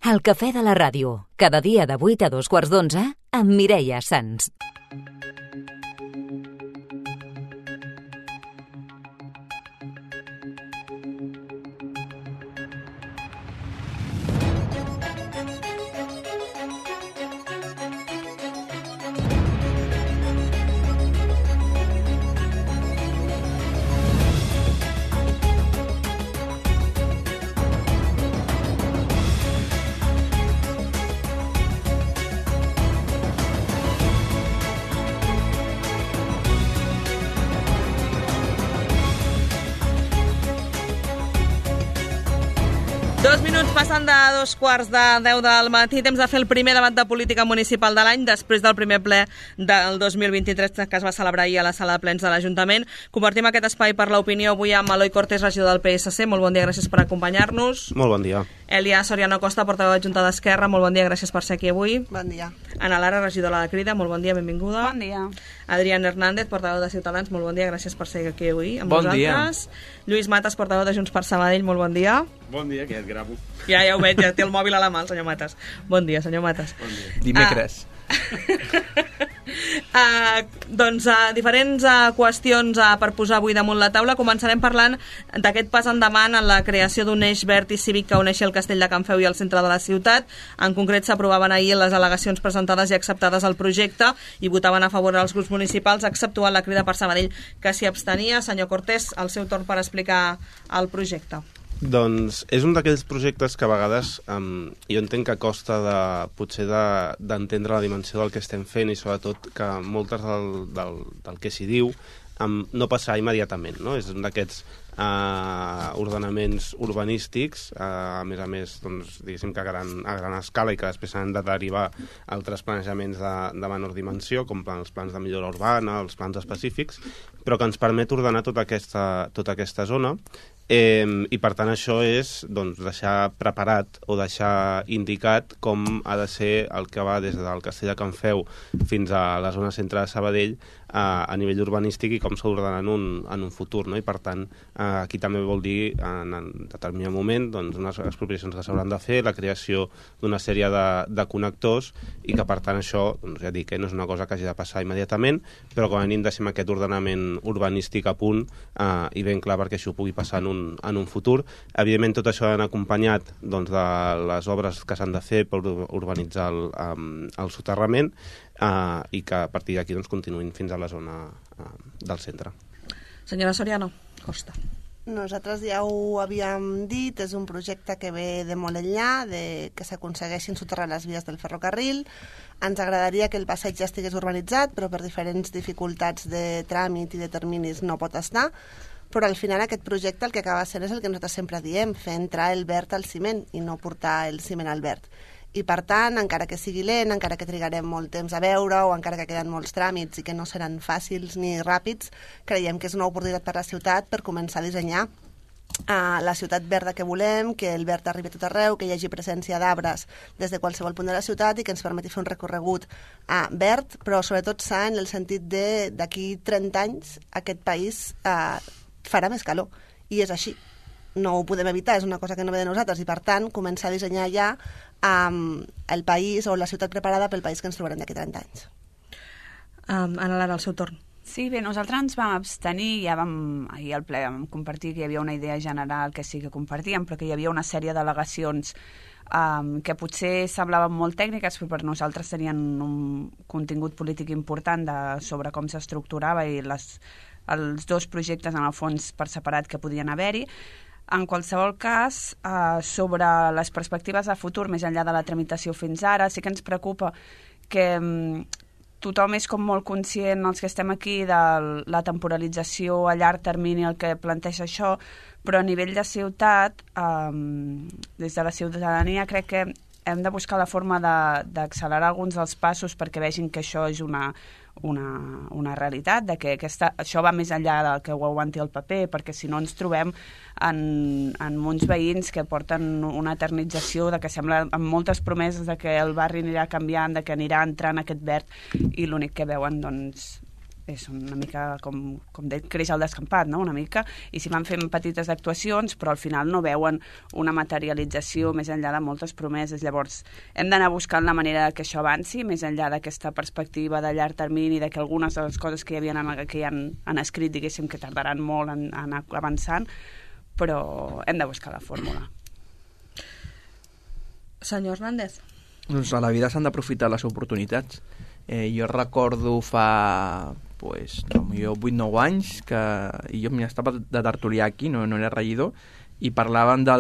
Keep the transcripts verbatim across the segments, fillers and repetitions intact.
El cafè de la ràdio, cada dia de vuit a dos quarts d'onze, amb Mireia Sans. Dos minuts passant de dos quarts de deu del matí, temps de fer el primer debat de política municipal de l'any, després del primer ple del dos mil vint-i-tres que es va celebrar ahir a la sala de plens de l'Ajuntament. Compartim aquest espai per l'opinió avui amb Eloi Cortés, regidor del P S C. Molt bon dia, gràcies per acompanyar-nos. Molt bon dia. Elia Soriano Costa, portaveu adjunta d'Esquerra. Molt bon dia, gràcies per ser aquí avui. Bon dia. Ana Lara, regidora de la Crida. Molt bon dia, benvinguda. Bon dia. Adrián Hernández, portaveu de Ciutadans. Molt bon dia, gràcies per ser aquí avui amb bon nosaltres. Dia. Lluís Matas, portaveu de Junts per Sabadell. Molt bon dia. Bon dia, que ja et gravo. Ja, ja ho veig, ja té el mòbil a la mà, el senyor Matas. Bon dia, senyor Matas. Bon dia. Dimecres. Uh, uh, doncs uh, diferents uh, qüestions uh, per posar avui damunt la taula. Començarem parlant d'aquest pas endavant en la creació d'un eix verd i cívic que uneixi el Castell de Can Feu i el centre de la ciutat. En concret s'aprovaven ahir les al·legacions presentades i acceptades al projecte i votaven a favor els grups municipals, exceptuant la Crida per Sabadell, que s'hi abstenia. Senyor Cortés, el seu torn per explicar el projecte. Doncs és un d'aquells projectes que a vegades um, jo entenc que costa de, potser d'entendre de, la dimensió del que estem fent i sobretot que moltes del, del, del que s'hi diu um, no passarà immediatament, no? És un d'aquests uh, ordenaments urbanístics, uh, a més a més, doncs, diguéssim que a gran, a gran escala i que després s'han de derivar altres planejaments de, de menor dimensió, com els plans de millora urbana, els plans específics, però que ens permet ordenar tota aquesta, tota aquesta zona. Eh, i per tant això és doncs, deixar preparat o deixar indicat com ha de ser el que va des del Castell de Can Feu fins a la zona centre de Sabadell a, a nivell urbanístic i com s'ha d'ordenar en, un, en un futur, no? I per tant eh, aquí també vol dir en, en determinat moment doncs, unes expropiacions que s'hauran de fer, la creació d'una sèrie de, de connectors i que per tant això, doncs, ja dic, eh, no és una cosa que hagi de passar immediatament, però com a mínim deixem aquest ordenament urbanístic a punt eh, i ben clar perquè això pugui passar en un, en un futur. Evidentment tot això ha d'anar acompanyat doncs, de les obres que s'han de fer per urbanitzar el, um, el soterrament uh, i que a partir d'aquí doncs, continuïn fins a la zona uh, del centre. Senyora Soriano Costa. Nosaltres ja ho havíem dit, és un projecte que ve de molt enllà, de que s'aconsegueixin soterrar les vies del ferrocarril. Ens agradaria que el passeig ja estigués urbanitzat, però per diferents dificultats de tràmit i de terminis no pot estar. Però al final aquest projecte el que acaba sent és el que nosaltres sempre diem, fer entrar el verd al ciment i no portar el ciment al verd. I per tant, encara que sigui lent, encara que trigarem molt temps a veure o encara que queden molts tràmits i que no seran fàcils ni ràpids, creiem que és una oportunitat per a la ciutat per començar a dissenyar uh, la ciutat verda que volem, que el verd arribi a tot arreu, que hi hagi presència d'arbres des de qualsevol punt de la ciutat i que ens permeti fer un recorregut uh, verd, però sobretot sa en el sentit de d'aquí trenta anys aquest país uh, farà més calor, i és així. No ho podem evitar, és una cosa que no ve de nosaltres, i per tant començar a dissenyar ja um, el país o la ciutat preparada pel país que ens trobarem d'aquí trenta anys. Um, Ana Lara, el seu torn. Sí, bé, nosaltres ens vam abstenir, ja vam, ahir al ple vam compartir que hi havia una idea general que sí que compartíem, però que hi havia una sèrie d'al·legacions um, que potser semblaven molt tècniques, però per nosaltres tenien un contingut polític important de, sobre com s'estructurava i les els dos projectes en el fons per separat que podien haver-hi. En qualsevol cas, eh, sobre les perspectives de futur, més enllà de la tramitació fins ara, sí que ens preocupa que mm, tothom és com molt conscient, els que estem aquí, de la temporalització a llarg termini, el que planteja això, però a nivell de ciutat, eh, des de la ciutadania, crec que hem de buscar la forma d'accelerar alguns dels passos perquè vegin que això és una una, una realitat, de que aquesta, això va més enllà del que ho aguanti el paper, perquè si no ens trobem en, en uns veïns que porten una eternització, de que sembla amb moltes promeses de que el barri anirà canviant, de que anirà entrant aquest verd, i l'únic que veuen doncs és una mica, com, com de, creix al descampat, no? Una mica, i s'hi van fent petites actuacions, però al final no veuen una materialització més enllà de moltes promeses. Llavors, hem d'anar buscant la manera que això avanci, més enllà d'aquesta perspectiva de llarg termini, de que algunes de les coses que hi havien en, que hi han, han escrit, diguéssim, que tardaran molt en, en anar avançant, però hem de buscar la fórmula. Senyor Hernández. Doncs a la vida s'han d'aprofitar les oportunitats. Eh, jo recordo fa pues, potser vuit o nou anys que jo estava de tertulià aquí, no, no era regidor, i parlaven de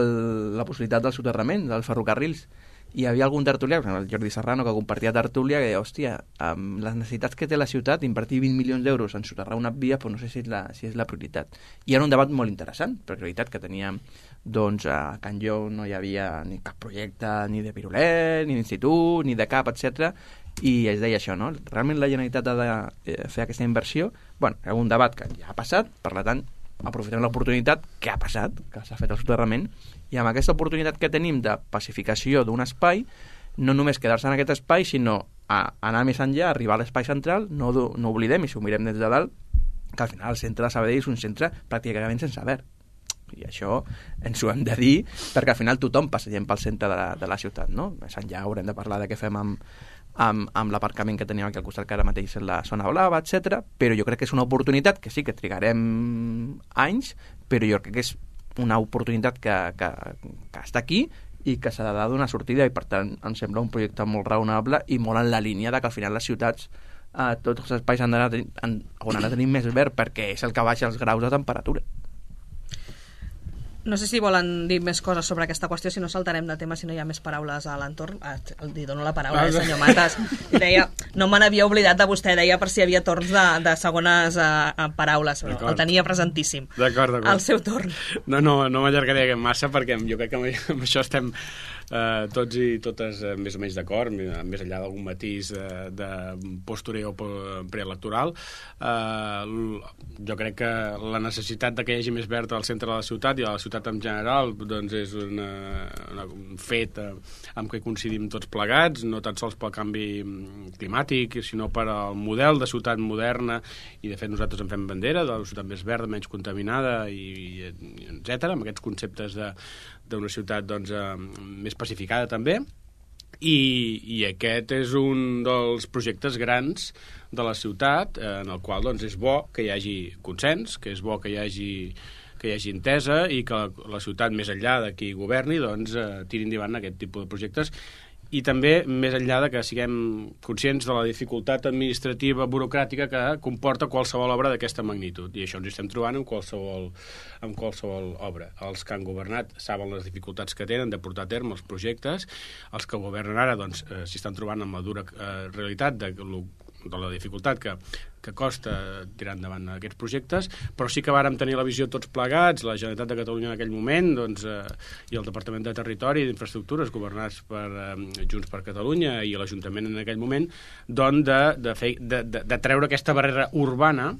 la possibilitat del soterrament, dels ferrocarrils. I hi havia algun tertulià, el Jordi Serrano, que compartia tertúlia, que deia, hòstia, amb les necessitats que té la ciutat, invertir vint milions d'euros en soterrar una via, però no sé si és, la, si és la prioritat. I era un debat molt interessant, perquè la veritat que teníem, doncs, a Can Jou no hi havia ni cap projecte, ni de pirulet, ni d'institut, ni de cap, etcètera. I es deia això, no? Realment la Generalitat ha de fer aquesta inversió. Bueno, hi ha un debat que ja ha passat, per tant, aprofitem l'oportunitat que ha passat, que s'ha fet el soterrament, i amb aquesta oportunitat que tenim de pacificació d'un espai, no només quedar-se en aquest espai, sinó a anar més enllà, arribar a l'espai central, no, no oblidem, i si ho mirem des de dalt, que al final el centre de Sabadell és un centre pràcticament sense verd. I això ens ho hem de dir, perquè al final tothom passegem pel centre de la, de la ciutat, no? Més enllà haurem de parlar de què fem amb, amb, amb l'aparcament que tenim aquí al costat, que ara mateix és la zona blava, etcètera. Però jo crec que és una oportunitat que sí que trigarem anys, però jo crec que és una oportunitat que, que, que està aquí i que s'ha de donar sortida, i per tant em sembla un projecte molt raonable i molt en la línia de que al final les ciutats, eh, tots els espais han d'anar han, han de tenir més verd, perquè és el que baixa els graus de temperatura. No sé si volen dir més coses sobre aquesta qüestió, si no saltarem de tema, si no hi ha més paraules a l'entorn. Ah, li dono la paraula, eh, senyor Matas. I deia, no me n'havia oblidat de vostè, deia per si hi havia torns de, de segones uh, paraules, però el tenia presentíssim. D'acord, d'acord. Al seu torn. No, no, no m'allargaré massa, perquè jo crec que amb això estem eh, tots i totes eh, més o menys d'acord, més enllà d'algun matís eh, de postureo preelectoral. Eh, jo crec que la necessitat de que hi hagi més verd al centre de la ciutat i a la ciutat en general, doncs és una, una, un fet eh, amb què coincidim tots plegats, no tan sols pel canvi climàtic, sinó per al model de ciutat moderna, i de fet nosaltres en fem bandera de la ciutat més verda, menys contaminada, i, i etcètera, amb aquests conceptes de d'una ciutat doncs, eh, més pacificada també, i, i aquest és un dels projectes grans de la ciutat, eh, en el qual doncs, és bo que hi hagi consens, que és bo que hi hagi que hi hagi entesa, i que la, la ciutat, més enllà de qui governi, doncs, eh, tiri endavant aquest tipus de projectes, i també més enllà de que siguem conscients de la dificultat administrativa, burocràtica que comporta qualsevol obra d'aquesta magnitud, i això ens estem trobant en qualsevol, en qualsevol obra. Els que han governat saben les dificultats que tenen de portar a terme els projectes, els que governen ara doncs, eh, s'hi estan trobant amb la dura eh, realitat de, de la dificultat que, que costa tirar endavant aquests projectes, però sí que vàrem tenir la visió tots plegats, la Generalitat de Catalunya en aquell moment, doncs, eh, i el Departament de Territori i d'Infraestructures, governats per eh, Junts per Catalunya, i l'Ajuntament en aquell moment, doncs, de, de, fer, de, de, de treure aquesta barrera urbana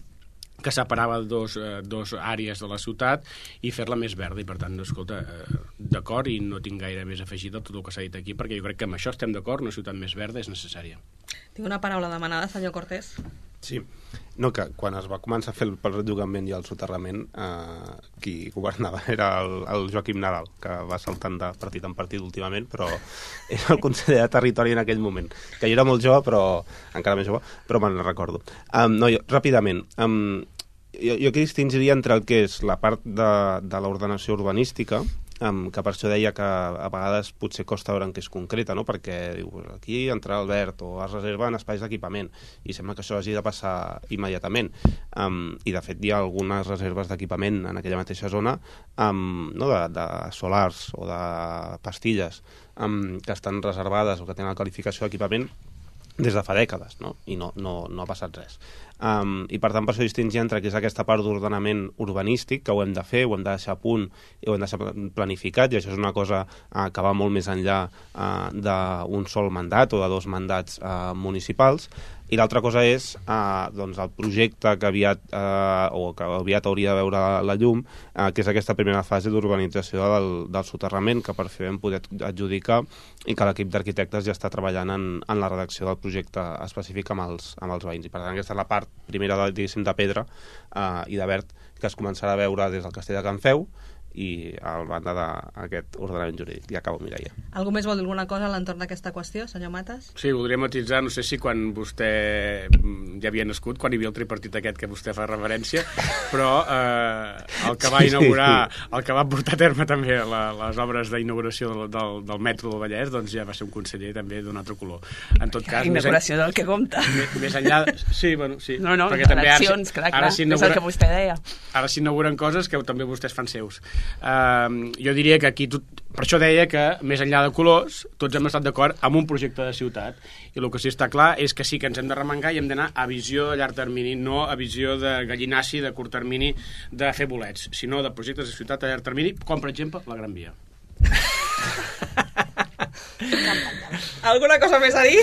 que separava dos, eh, dos àrees de la ciutat i fer-la més verda, i per tant, escolta, eh, d'acord, i no tinc gaire més afegit de tot el que s'ha dit aquí, perquè jo crec que amb això estem d'acord, una ciutat més verda és necessària. Tinc una paraula demanada, senyor Cortés. Sí, no, que quan es va començar a fer el perllogament i el soterrament, eh, qui governava era el, el Joaquim Nadal, que va saltant de partit en partit últimament, però era el conseller de Territori en aquell moment, que jo era molt jove, però encara més jove, però me'n recordo. Um, no, jo, ràpidament, um, jo, jo aquí distingiria entre el que és la part de, de l'ordenació urbanística, Um, que per això deia que a vegades potser costa veure en què es concreta, no? Perquè diu, aquí entrarà el verd o es reserven espais d'equipament, i sembla que això hagi de passar immediatament, um, i de fet hi ha algunes reserves d'equipament en aquella mateixa zona, um, no? de, de solars o de pastilles um, que estan reservades o que tenen la qualificació d'equipament des de fa dècades, no? I no, no, no ha passat res. Um, I per tant, per això distingir entre que és aquesta part d'ordenament urbanístic, que ho hem de fer, ho hem de deixar a punt i ho hem de deixar planificat, i això és una cosa uh, que va molt més enllà uh, d'un sol mandat o de dos mandats uh, municipals, I l'altra cosa és eh, doncs el projecte que aviat, eh, o que aviat hauria de veure la, la llum, eh, que és aquesta primera fase d'urbanització del, del soterrament, que per fi vam poder adjudicar i que l'equip d'arquitectes ja està treballant en, en la redacció del projecte específic amb els, amb els veïns. I per tant aquesta és la part primera de, diguéssim, de pedra eh, i de verd que es començarà a veure des del castell de Can Feu i a banda d'aquest ordenament jurídic. Ja acabo, Mireia. Algú més vol dir alguna cosa a l'entorn d'aquesta qüestió, senyor Matas? Sí, voldria matitzar, no sé si quan vostè ja havia nascut, quan hi havia el tripartit aquest que vostè fa referència, però eh, el que va inaugurar, el que va portar a terme també la, les obres d'inauguració del, del, del metro del Vallès, doncs ja va ser un conseller també d'un altre color. En tot cas, inauguració en... del que compta. Més, més enllà... Sí, bueno, sí. No, no, perquè també eleccions, ara, clar, clar, ara és el que vostè deia. Ara s'inauguren coses que també vostès fan seus. Uh, jo diria que aquí tot, per això deia que més enllà de colors tots hem estat d'acord amb un projecte de ciutat i el que sí està clar és que sí que ens hem de remengar i hem d'anar a visió a llarg termini, no a visió de gallinaci de curt termini de fer bolets, sinó de projectes de ciutat a llarg termini, com per exemple la Gran Via. Alguna cosa més a dir?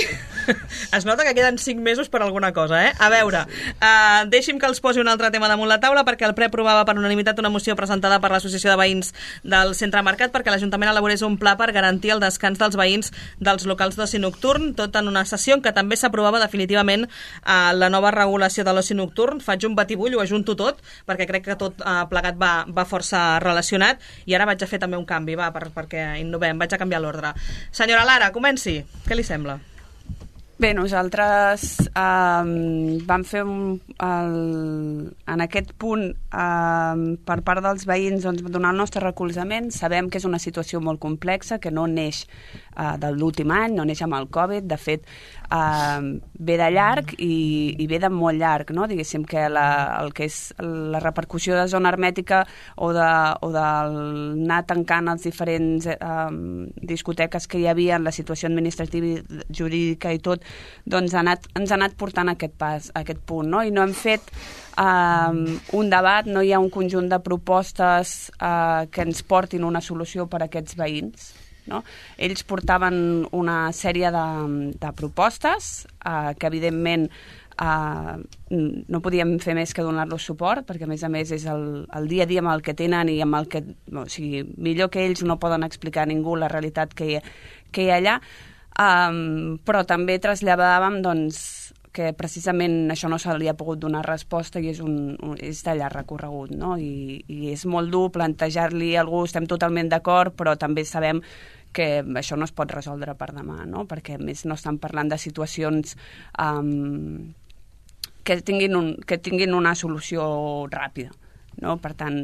Es nota que queden cinc mesos per alguna cosa, eh? A veure, uh, deixi'm que els posi un altre tema damunt la taula perquè el ple aprovava per unanimitat una moció presentada per l'Associació de Veïns del Centre Mercat perquè l'Ajuntament elaborés un pla per garantir el descans dels veïns dels locals d'oci nocturn, tot en una sessió en què també s'aprovava definitivament uh, la nova regulació de l'oci nocturn. Faig un batibull, ho ajunto tot, perquè crec que tot uh, plegat va, va força relacionat i ara vaig a fer també un canvi, va, per, perquè innovem, vaig a canviar l'ordre. Senyora Lara, comenci. Què li sembla? Bé, nosaltres eh, vam fer un, el, en aquest punt eh, per part dels veïns doncs, donar el nostre recolzament. Sabem que és una situació molt complexa, que no neix eh, de l'últim any, no neix amb el Covid, de fet eh, ve de llarg i, i ve de molt llarg, no? Diguéssim que la, el que és la repercussió de zona hermètica o de, o d'anar tancant els diferents eh, discoteques que hi havia en la situació administrativa i jurídica i tot, doncs ha anat, ens ha anat portant a aquest pas, a aquest punt, no? I no hem fet um, un debat, no hi ha un conjunt de propostes uh, que ens portin una solució per a aquests veïns, no? Ells portaven una sèrie de, de propostes uh, que evidentment uh, no podíem fer més que donar-los suport, perquè a més a més és el, el dia a dia amb el que tenen i amb el que, o sigui, millor que ells no poden explicar a ningú la realitat que hi, que hi ha allà. Um, però també traslladàvem doncs, que precisament això no se li ha pogut donar resposta i és, un, un, és de llarg recorregut, no? I, i és molt dur plantejar-li a algú, estem totalment d'acord, però també sabem que això no es pot resoldre per demà, no? Perquè a més no estan parlant de situacions um, que, tinguin un, que tinguin una solució ràpida, no? Per tant,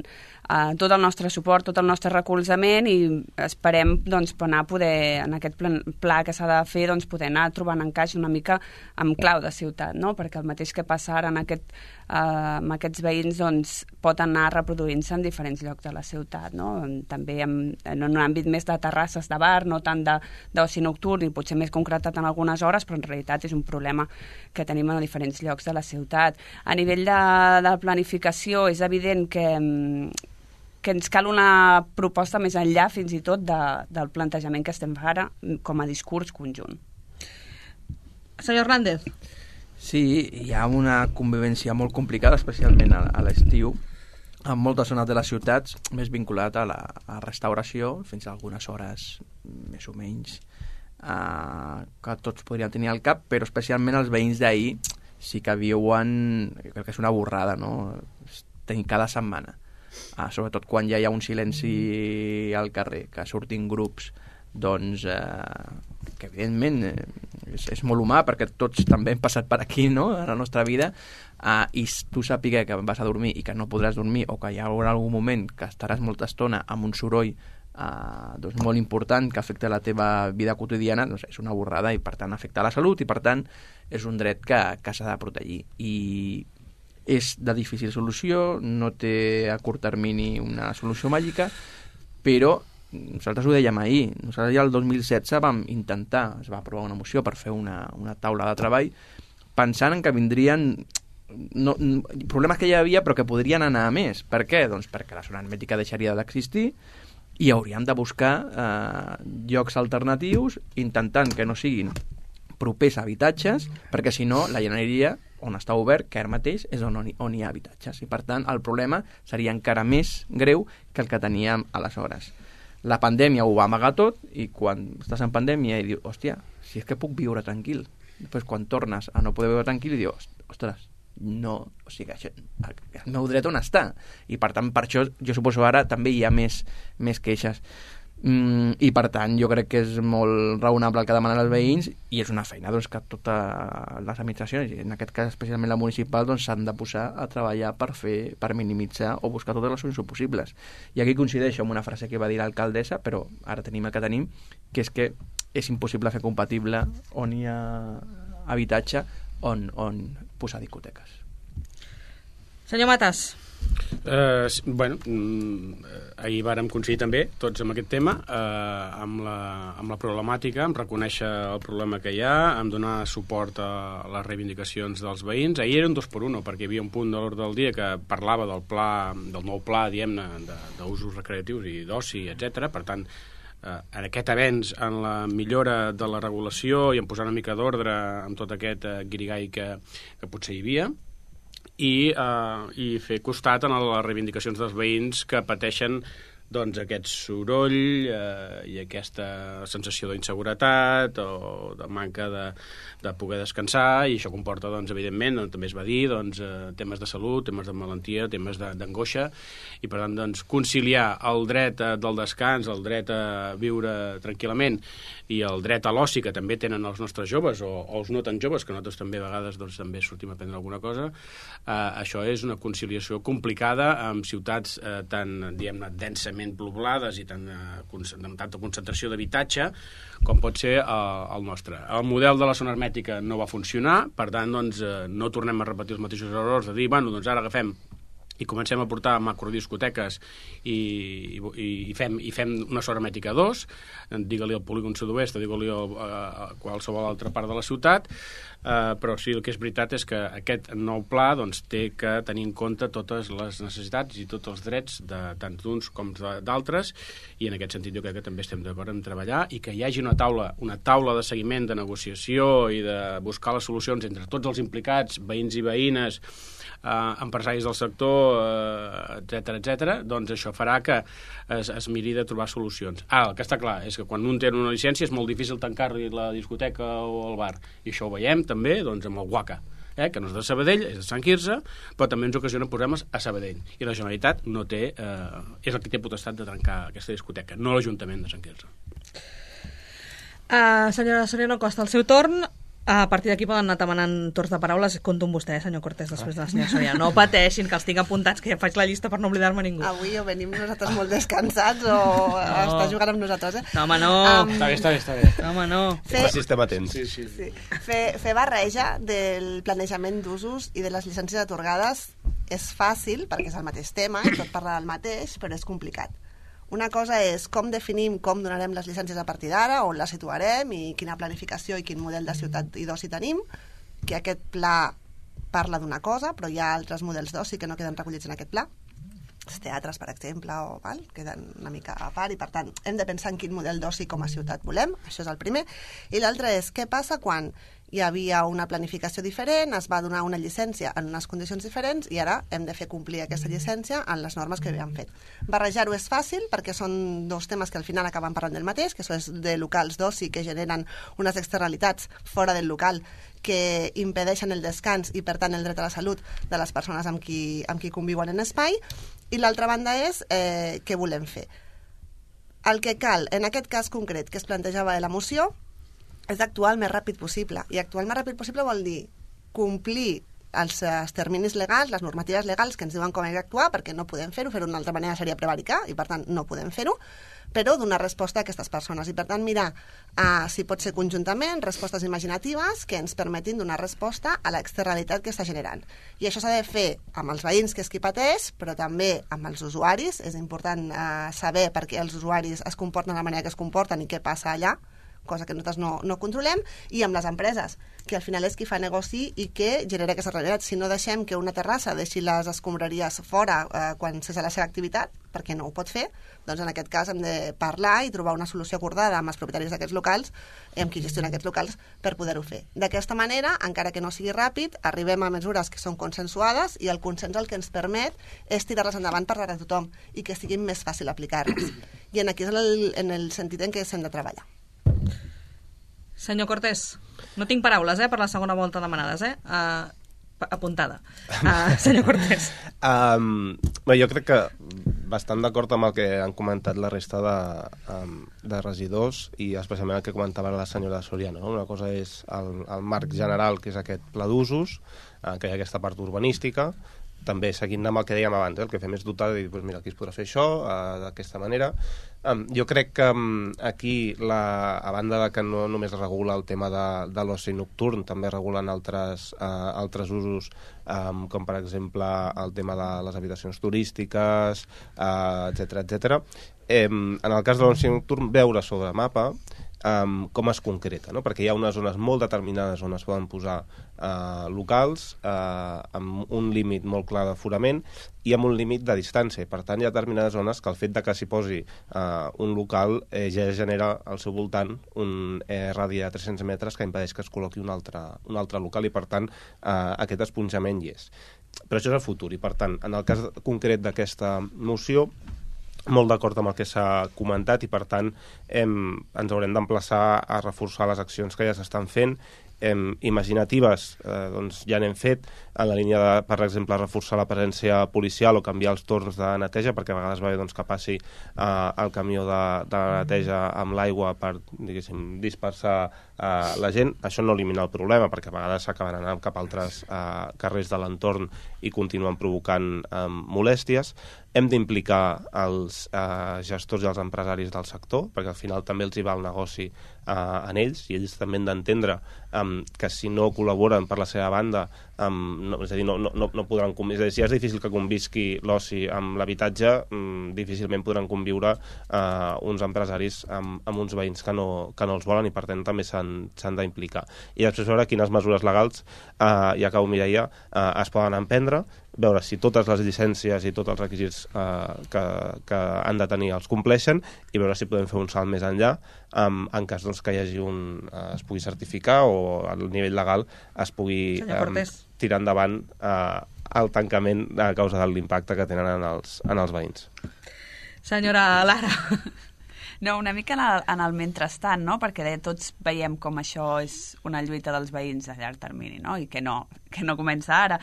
uh, tot el nostre suport, tot el nostre recolzament i esperem doncs, anar a poder, en aquest pla, pla que s'ha de fer, doncs, poder anar trobant encaix una mica amb clau de ciutat, no? Perquè el mateix que passa ara en aquest, uh, amb aquests veïns doncs, pot anar reproduint-se en diferents llocs de la ciutat, no? També en, en un àmbit més de terrasses de bar, no tant d'oci nocturn i potser més concretat en algunes hores, però en realitat és un problema que tenim en diferents llocs de la ciutat. A nivell de, de planificació és evident que que ens cal una proposta més enllà fins i tot de, del plantejament que estem ara com a discurs conjunt. Senyor Hernández. Sí, hi ha una convivència molt complicada, especialment a, a l'estiu, en moltes zones de les ciutats, més vinculat a la a restauració, fins a algunes hores més o menys, eh, que tots podrien tenir al cap, però especialment els veïns d'ahir sí que viuen, crec que és una borrada, no? Tenir cada setmana. Ah, sobretot quan ja hi ha un silenci al carrer, que surtin grups, doncs, eh, que evidentment eh, és, és molt humà, perquè tots també hem passat per aquí, no?, a la nostra vida, eh, i tu sàpiga que vas a dormir i que no podràs dormir, o que hi haurà algun moment que estaràs molta estona amb un soroll eh, doncs molt important que afecta la teva vida quotidiana, doncs és una borrada i per tant afecta la salut i per tant és un dret que, que s'ha de protegir. I és de difícil solució, no té a curt termini una solució màgica, però nosaltres ho dèiem ahir, nosaltres ja el dos mil setze vam intentar, es va aprovar una moció per fer una, una taula de treball, pensant en que vindrien no, problemes que ja hi havia però que podrien anar a més. Per què? Doncs perquè la zona hermètica deixaria d'existir i hauríem de buscar eh, llocs alternatius intentant que no siguin propers a habitatges, perquè si no la jardineria on està obert, que ara mateix és on, on hi ha habitatges, i per tant el problema seria encara més greu que el que teníem aleshores. La pandèmia ho va amagar tot, i quan estàs en pandèmia i dius, hòstia, si és que puc viure tranquil, després quan tornes a no poder viure tranquil i dius, ostres, no, o sigui, això, el meu dret on està, i per tant per això jo suposo ara també hi ha més, més queixes. Mm, i per tant jo crec que és molt raonable el que demanen els veïns, i és una feina doncs, que totes les administracions, i en aquest cas especialment la municipal, doncs, s'han de posar a treballar per fer, per minimitzar o buscar totes les solucions possibles. I aquí coincideixo amb una frase que va dir l'alcaldessa, però ara tenim el que tenim, que és que és impossible fer compatible on hi ha habitatge on, on posar discoteques. Senyor Matas. Uh, bueno, ahir vàrem coincidir també tots amb aquest tema, uh, amb, la, amb la problemàtica, amb reconèixer el problema que hi ha, amb donar suport a les reivindicacions dels veïns. Ahir era un dos per uno, perquè hi havia un punt de l'ordre del dia que parlava del pla, del nou pla, diguem-ne, d'usos recreatius i d'oci, etcètera. Per tant, uh, en aquest avenç, en la millora de la regulació i en posar una mica d'ordre amb tot aquest uh, guirigall que, que potser hi havia, i, eh, i fer costat en les reivindicacions dels veïns que pateixen doncs, aquest soroll eh, i aquesta sensació d'inseguretat o de manca de, de poder descansar, i això comporta, doncs, evidentment, doncs, també es va dir, doncs, eh, temes de salut, temes de malaltia, temes d'angoixa, i per tant doncs, conciliar el dret eh, del descans, el dret a viure tranquil·lament i el dret a l'oci que també tenen els nostres joves o, o els no tan joves, que nosaltres també a vegades doncs, també sortim a prendre alguna cosa, eh, això és una conciliació complicada amb ciutats eh, tan, diguem-ne, densament poblades i tan, amb tanta concentració d'habitatge com pot ser el, el nostre. El model de la zona hermètica no va funcionar, per tant, doncs, no tornem a repetir els mateixos errors de dir, bueno, doncs ara agafem i comencem a portar macrodiscoteques i, i, i, fem, i fem una zona hermètica dos, digue-li al polígon sud-oest o digue-li a, a qualsevol altra part de la ciutat, eh, però sí, el que és veritat és que aquest nou pla doncs, té que tenir en compte totes les necessitats i tots els drets de tant d'uns com d'altres, i en aquest sentit jo crec que també estem d'acord en treballar i que hi hagi una taula, una taula de seguiment, de negociació i de buscar les solucions entre tots els implicats, veïns i veïnes, eh, empresaris del sector, eh, etcètera, etcètera, doncs això farà que es, es miri de trobar solucions. Ah, el que està clar és que quan un té una llicència és molt difícil tancar-li la discoteca o el bar, i això ho veiem també doncs, amb el Guaca, eh, que no és de Sabadell, és de Sant Quirze, però també ens ocasiona problemes a Sabadell, i la Generalitat no té, eh, és el que té potestat de trencar aquesta discoteca, no l'Ajuntament de Sant Quirze. Uh, senyora Soriano Costa, el seu torn. A partir d'aquí poden anar demanant torns de paraules. Compto amb vostè, senyor Cortés, després de la senyora Soriano. No pateixin, que els tinc apuntats, que ja faig la llista per no oblidar-me ningú. Avui o venim nosaltres molt descansats o no. Està jugant amb nosaltres, eh? No, home, no. Um, està bé, està bé, està bé. No, home, no. Fer, si estem atents. Sí, sí. sí. Fer, fer barreja del planejament d'usos i de les llicències atorgades és fàcil, perquè és el mateix tema i tot parla del mateix, però és complicat. Una cosa és com definim com donarem les llicències a partir d'ara, on les situarem i quina planificació i quin model de ciutat i d'oci tenim, que aquest pla parla d'una cosa, però hi ha altres models d'oci que no queden recollits en aquest pla. Els teatres, per exemple, o, val, queden una mica a part, i per tant hem de pensar en quin model d'oci com a ciutat volem, això és el primer. I l'altre és què passa quan hi havia una planificació diferent, es va donar una llicència en unes condicions diferents i ara hem de fer complir aquesta llicència en les normes que havíem fet. Barrejar-ho és fàcil perquè són dos temes que al final acaben parlant del mateix, que són de locals d'oci que generen unes externalitats fora del local que impedeixen el descans i per tant el dret a la salut de les persones amb qui, amb qui conviuen en espai, i l'altra banda és eh, què volem fer. El que cal, en aquest cas concret que es plantejava de la moció, és actuar el més ràpid possible. I actuar el més ràpid possible vol dir complir els, els terminis legals, les normatives legals que ens diuen com hem d'actuar, perquè no podem fer-ho, fer-ho d'una altra manera seria prevaricar, i per tant no podem fer-ho, però donar resposta a aquestes persones. I per tant mirar uh, si pot ser conjuntament respostes imaginatives que ens permetin donar resposta a l'externalitat que està generant. I això s'ha de fer amb els veïns, que és qui pateix, però també amb els usuaris. És important uh, saber per què els usuaris es comporten de la manera que es comporten i què passa allà, cosa que nosaltres no, no controlem, i amb les empreses, que al final és qui fa negoci i que genera aquesta realitat. Si no deixem que una terrassa deixi les escombraries fora eh, quan cessa la seva activitat, perquè no ho pot fer, doncs en aquest cas hem de parlar i trobar una solució acordada amb els propietaris d'aquests locals i amb qui gestiona aquests locals per poder-ho fer. D'aquesta manera, encara que no sigui ràpid, arribem a mesures que són consensuades i el consens el que ens permet és tirar-les endavant per a tothom i que sigui més fàcil aplicar-les. I en aquí és el, en el sentit en què s'hem de treballar. Senyor Cortés, no tinc paraules eh, per la segona volta demanades, eh? Uh, apuntada. Uh, senyor Cortés. Um, bé, jo crec que bastant d'acord amb el que han comentat la resta de, um, de regidors i especialment el que comentava la senyora Soriano. No? Una cosa és el, el marc general, que és aquest pla d'usos, uh, que hi ha aquesta part urbanística, també seguint amb el que dèiem abans, eh? El que fem és dotar de dir, doncs mira, aquí es podrà fer això, uh, d'aquesta manera. Um, jo crec que um, aquí, la, a banda de que no només regula el tema de, de l'oci nocturn, també regulen altres, uh, altres usos, um, com per exemple el tema de les habitacions turístiques, uh, etcètera, etcètera. Um, en el cas de l'oci nocturn, veure sobre mapa um, com es concreta, no? Perquè hi ha unes zones molt determinades on es poden posar uh, locals uh, amb un límit molt clar d'aforament i amb un límit de distància. Per tant, hi ha determinades zones que el fet de que s'hi posi uh, un local eh, ja genera al seu voltant un eh, radi de tres-cents metres que impedeix que es col·loqui un altre, un altre local i, per tant, uh, aquest esponjament hi és. Però això és el futur i, per tant, en el cas concret d'aquesta moció, molt d'acord amb el que s'ha comentat i, per tant, hem, ens haurem d'emplaçar a reforçar les accions que ja s'estan fent. Em, imaginatives, eh, doncs ja n'hem fet, en la línia de, per exemple, reforçar la presència policial o canviar els torns de neteja, perquè a vegades va bé doncs, que passi eh, el camió de, de neteja amb l'aigua per, diguéssim, dispersar eh, la gent. Això no elimina el problema, perquè a vegades s'acaben anant cap a altres eh, carrers de l'entorn i continuen provocant eh, molèsties. Hem d'implicar els eh, gestors i els empresaris del sector, perquè al final també els hi va el negoci eh, en ells, i ells també han d'entendre eh, que si no col·laboren per la seva banda, eh, no, és a dir, no, no, no podran conviure. És a dir, si és difícil que convisqui l'oci amb l'habitatge, eh, difícilment podran conviure eh, uns empresaris amb, amb uns veïns que no, que no els volen, i per tant també s'han d'implicar. I després veure quines mesures legals, eh, ja acabo, Mireia, eh, es poden emprendre, veure si totes les llicències i tots els requisits eh, que, que han de tenir els compleixen, i veure si podem fer un salt més enllà um, en cas doncs, que hi hagi un, eh, es pugui certificar o al nivell legal es pugui um, tirar endavant eh, el tancament a causa de l'impacte que tenen en els, en els veïns. Senyora Lara. No, una mica en el, en el mentrestant, no? Perquè tots veiem com això és una lluita dels veïns a llarg termini, no? I que no, que no comença ara.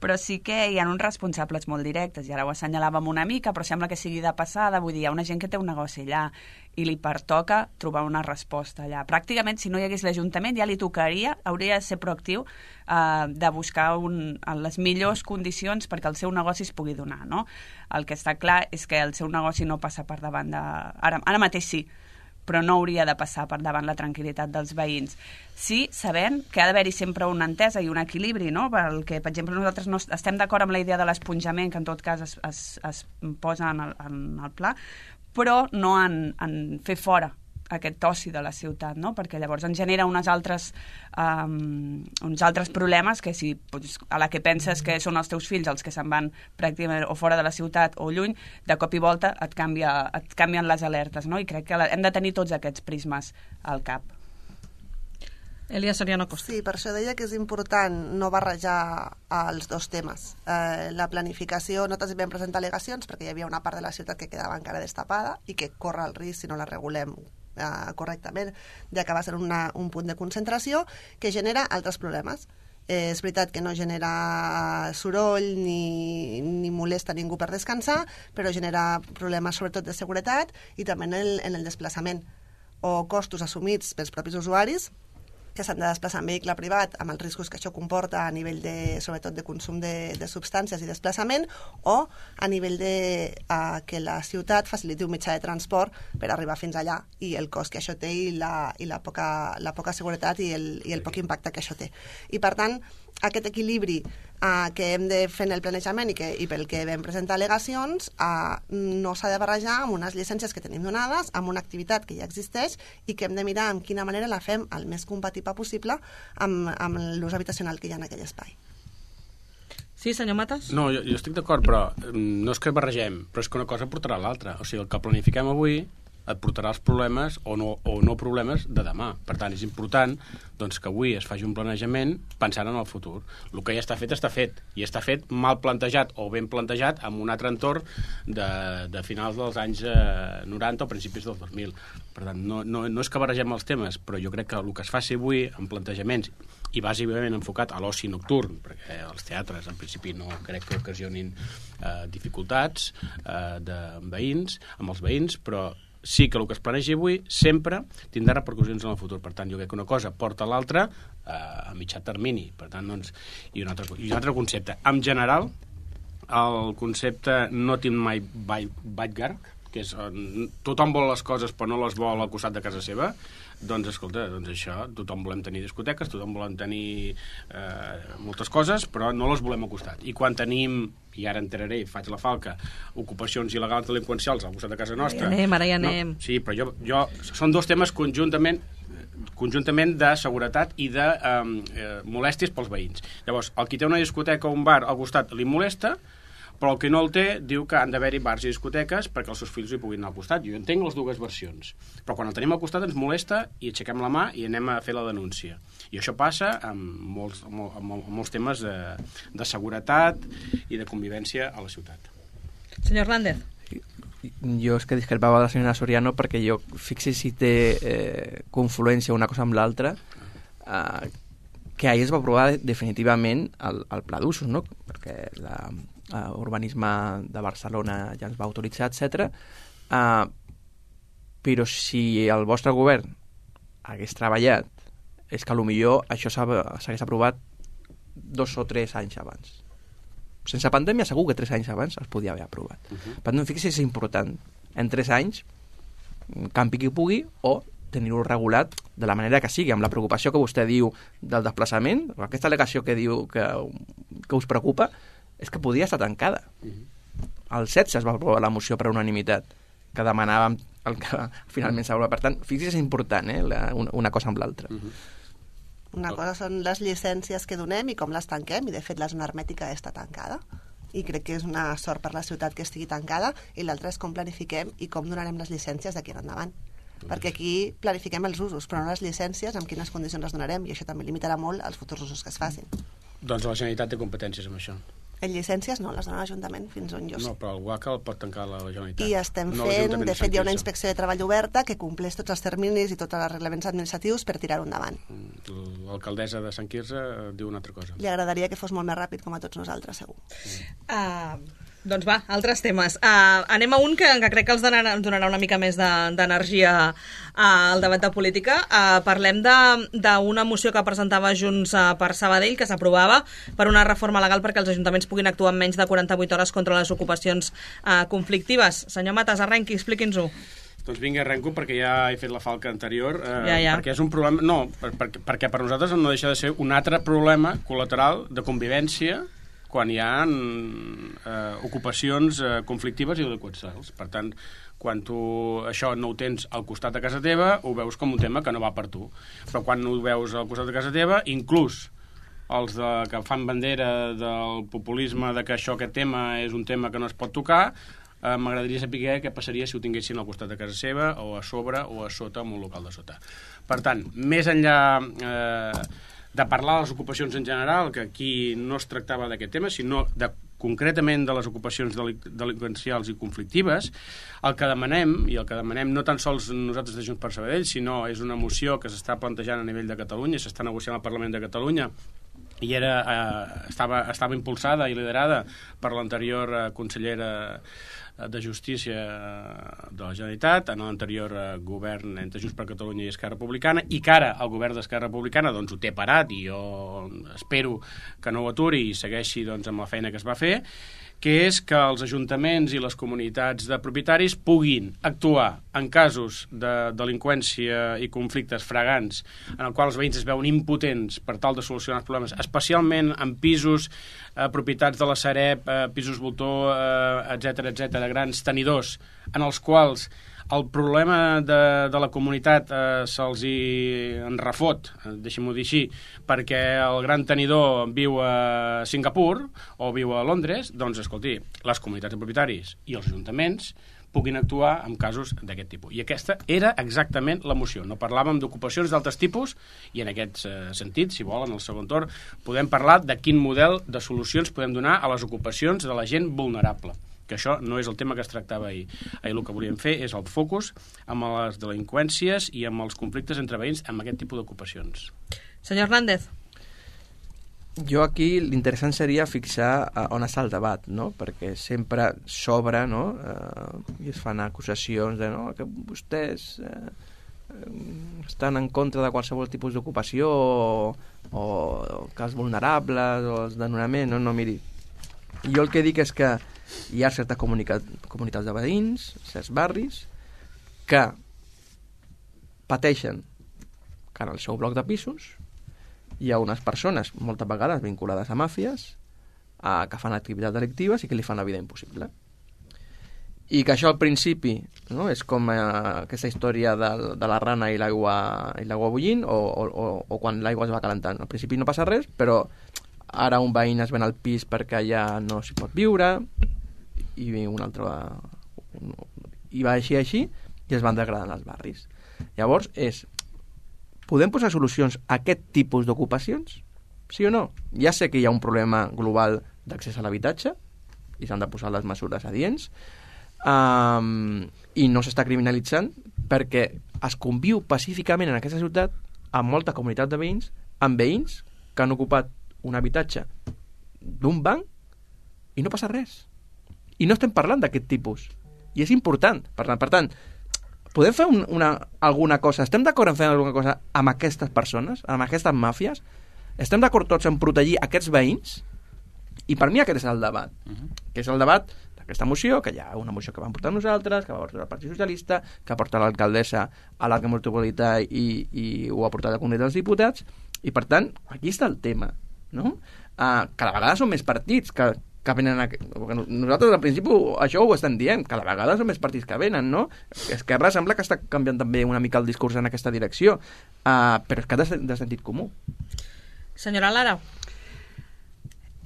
Però sí que hi ha uns responsables molt directes, i ara ho assenyalàvem una mica, però sembla que sigui de passada. Vull dir, hi ha una gent que té un negoci allà i li pertoca trobar una resposta allà. Pràcticament, si no hi hagués l'Ajuntament, ja li tocaria, hauria de ser proactiu eh, de buscar un, les millors condicions perquè el seu negoci es pugui donar, no? El que està clar és que el seu negoci no passa per davant de... Ara, ara mateix sí, però no hauria de passar per davant la tranquil·litat dels veïns. Sí, sabent que ha d'haver-hi sempre una entesa i un equilibri, no? Perquè, per exemple, nosaltres no estem d'acord amb la idea de l'esponjament, que en tot cas es, es, es posa en el, en el pla, però no en, en fer fora aquest oci de la ciutat, no? Perquè llavors ens genera unes altres, um, uns altres problemes que si pues, a la que penses que són els teus fills els que se'n van pràcticament o fora de la ciutat o lluny, de cop i volta et, canvia, et canvien les alertes, no? I crec que hem de tenir tots aquests prismes al cap. Elia Soriano Costa. Sí, per això deia que és important no barrejar els dos temes. Eh, la planificació, nosaltres vam presentar al·legacions perquè hi havia una part de la ciutat que quedava encara destapada i que corre el risc, si no la regulem eh, correctament, d'acabar sent una, un punt de concentració que genera altres problemes. Eh, és veritat que no genera soroll ni, ni molesta ningú per descansar, però genera problemes sobretot de seguretat i també en el, en el desplaçament o costos assumits pels propis usuaris que s'han de desplaçar en vehicle privat amb els riscos que això comporta a nivell de, sobretot de consum de, de substàncies i desplaçament, o a nivell de uh, que la ciutat faciliti un mitjà de transport per arribar fins allà, i el cost que això té i la, i la, poca, la poca seguretat i el, i el poc impacte que això té. I per tant, aquest equilibri uh, que hem de fer en el planejament i, que, i pel que vam presentar al·legacions uh, no s'ha de barrejar amb unes llicències que tenim donades, amb una activitat que ja existeix i que hem de mirar en quina manera la fem el més compatible possible amb, amb l'ús habitacional que hi ha en aquell espai. Sí, senyor Matas? No, jo, jo estic d'acord, però no és que barregem, però és que una cosa portarà a l'altra. O sigui, el que planifiquem avui et portarà els problemes o no, o no problemes de demà. Per tant, és important doncs, que avui es faci un planejament pensant en el futur. El que ja està fet, està fet. I està fet mal plantejat o ben plantejat en un altre entorn de, de finals dels anys eh, noranta o principis dels dos mil. Per tant, no, no, no és que barregem els temes, però jo crec que el que es faci avui en plantejaments i bàsicament enfocat a l'oci nocturn, perquè els teatres en principi no crec que ocasionin eh, dificultats eh, de veïns, amb els veïns, però sí que el que es planegi avui sempre tindrà repercussions en el futur. Per tant, jo crec que una cosa porta a l'altra eh, a mitjà termini. Per tant, doncs, i, un altre, i un altre concepte. En general, el concepte no tinc mai Baitgarg, que és tothom vol les coses però no les vol al costat de casa seva, doncs escolta, doncs això, tothom volem tenir discoteques, tothom volem tenir eh, moltes coses, però no les volem al costat. I quan tenim, i ara entraré i faig la falca, ocupacions il·legals delinqüencials al costat de casa nostra... Ara hi anem, ara hi anem. No, sí, però jo, jo... Són dos temes conjuntament conjuntament de seguretat i de eh, molèsties pels veïns. Llavors, el qui té una discoteca o un bar al costat li molesta, però el que no el té diu que han d'haver-hi bars i discoteques perquè els seus fills hi puguin anar al costat. Jo entenc les dues versions, però quan el tenim al costat ens molesta i aixequem la mà i anem a fer la denúncia. I això passa amb molts, amb, amb molts temes de, de seguretat i de convivència a la ciutat. Senyor Hernández. Jo és que discrepava de la senyora Soriano perquè jo, fixi si té eh, confluència una cosa amb l'altra, eh, que ahir es va aprovar definitivament el, el pla d'usos, no? Perquè la uh, urbanisme de Barcelona ja ens va autoritzar, etcètera. Uh, però si el vostre govern hagués treballat, és que potser això s'hagués aprovat dos o tres anys abans. Sense pandèmia segur que tres anys abans es podia haver aprovat. Uh-huh. Per tant, fixi, és important. En tres anys, campi qui pugui, o tenir-ho regulat de la manera que sigui, amb la preocupació que vostè diu del desplaçament, aquesta al·legació que diu que, que us preocupa, és que podia estar tancada. Uh-huh. El setze es va aprovar la moció per unanimitat, que demanàvem el que finalment s'aprova. Per tant, fixi, és important, eh, la, una, una cosa amb l'altra. Uh-huh. Una cosa són les llicències que donem i com les tanquem, i de fet la zona hermètica està tancada, i crec que és una sort per la ciutat que estigui tancada, i l'altra és com planifiquem i com donarem les llicències d'aquí en endavant. Perquè aquí planifiquem els usos, però no les llicències, amb quines condicions les donarem, i això també limitarà molt els futurs usos que es facin. Doncs la Generalitat té competències amb això. En llicències no, les dona l'Ajuntament, fins on jo sé. No, però el UACA el pot tancar la Generalitat. I estem no fent, de fet hi ha una inspecció de treball oberta que compleix tots els terminis i tots els reglaments administratius per tirar-ho endavant. L'alcaldessa de Sant Quirze diu una altra cosa. Li agradaria que fos molt més ràpid com a tots nosaltres, segur. Uh, doncs va, altres temes. Uh, anem a un que, que crec que els donarà, ens donarà una mica més d'energia de, uh, al debat de política. Uh, parlem d'una moció que presentava Junts uh, per Sabadell, que s'aprovava per una reforma legal perquè els ajuntaments puguin actuar en menys de quaranta-vuit hores contra les ocupacions uh, conflictives. Senyor Matas, arrenqui, expliqui'ns-ho. Doncs vinga, arrenco perquè ja he fet la falca anterior. Eh, ja, ja. Perquè és un problema... No, per, per, perquè per nosaltres no deixa de ser un altre problema col·lateral de convivència quan hi ha eh, ocupacions eh, conflictives i delinqüencials. Per tant, quan tu això no ho tens al costat de casa teva, ho veus com un tema que no va per tu. Però quan ho veus al costat de casa teva, inclús els de, que fan bandera del populisme de que això, aquest tema és un tema que no es pot tocar, eh, m'agradaria saber què passaria si ho tinguessin al costat de casa seva o a sobre o a sota, en un local de sota. Per tant, més enllà eh, de parlar de les ocupacions en general, que aquí no es tractava d'aquest tema, sinó de, concretament de les ocupacions delinqüencials i conflictives, el que demanem, i el que demanem no tan sols nosaltres de Junts per Sabadell, sinó és una moció que s'està plantejant a nivell de Catalunya, s'està negociant al Parlament de Catalunya, i era, eh, estava, estava impulsada i liderada per l'anterior eh, consellera de Justícia de la Generalitat, en l'anterior eh, govern entre Junts per Catalunya i Esquerra Republicana, i que ara el govern d'Esquerra Republicana doncs, ho té parat, i jo espero que no ho aturi i segueixi doncs, amb la feina que es va fer, que és que els ajuntaments i les comunitats de propietaris puguin actuar en casos de delinqüència i conflictes fragants en els quals els veïns es veuen impotents per tal de solucionar els problemes, especialment en pisos eh, propietats de la Sareb, eh, pisos voltor, eh, etcètera, etcètera, grans tenidors, en els quals el problema de, de la comunitat eh, se'ls hi enrefot, eh, deixem-ho dir així, perquè el gran tenidor viu a Singapur o viu a Londres, doncs, escolti, les comunitats de propietaris i els ajuntaments puguin actuar en casos d'aquest tipus. I aquesta era exactament la moció. No parlàvem d'ocupacions d'altres tipus i en aquest eh, sentit, si volen, en el segon torn, podem parlar de quin model de solucions podem donar a les ocupacions de la gent vulnerable, que això no és el tema que es tractava ahir. Ahir el que volíem fer és el focus amb les delinqüències i amb els conflictes entre veïns amb aquest tipus d'ocupacions. Senyor Hernández. Jo aquí l'interessant seria fixar on està el debat, no? Perquè sempre s'obre, no? Eh, i es fan acusacions de no? que vostès eh, estan en contra de qualsevol tipus d'ocupació o, o, o cas vulnerables o els desnonaments. No, no, miri, jo el que dic és que hi ha certes comunitats de veïns, certs barris, que pateixen que en el seu bloc de pisos hi ha unes persones, moltes vegades vinculades a màfies, a, que fan activitats delictives i que li fan la vida impossible. I que això al principi, no, és com eh, aquesta història de, de la rana i l'aigua i l'aigua bullint, o, o, o quan l'aigua es va calentant. Al principi no passa res, però ara un veïn es ven al pis perquè ja no s'hi pot viure, i un altre va, i va així així i es van degradant els barris. Llavors és, podem posar solucions a aquest tipus d'ocupacions? Sí o no? Ja sé que hi ha un problema global d'accés a l'habitatge i s'han de posar les mesures adients, um, i no s'està criminalitzant perquè es conviu pacíficament en aquesta ciutat amb molta comunitat de veïns, amb veïns que han ocupat un habitatge d'un banc i no passa res. I no estem parlant d'aquest tipus. I és important. Per, per tant, podem fer un, una, alguna cosa? Estem d'acord en fer alguna cosa amb aquestes persones, amb aquestes màfies? Estem d'acord tots en protegir aquests veïns? I per mi aquest és el debat. Uh-huh. Que és el debat d'aquesta moció, que hi ha una moció que vam portar nosaltres, que va portar el Partit Socialista, que porta l'alcaldessa a l'Arc Metropolità i, i ho ha portat al Congrés dels Diputats. I per tant, aquí està el tema, no? Uh, cada vegada són més partits que que venen a... Nosaltres al principi això ho estem dient, cada vegada són més partits que venen, no? Esquerra sembla que està canviant també una mica el discurs en aquesta direcció, uh, però és que de, de sentit comú. Senyora Lara.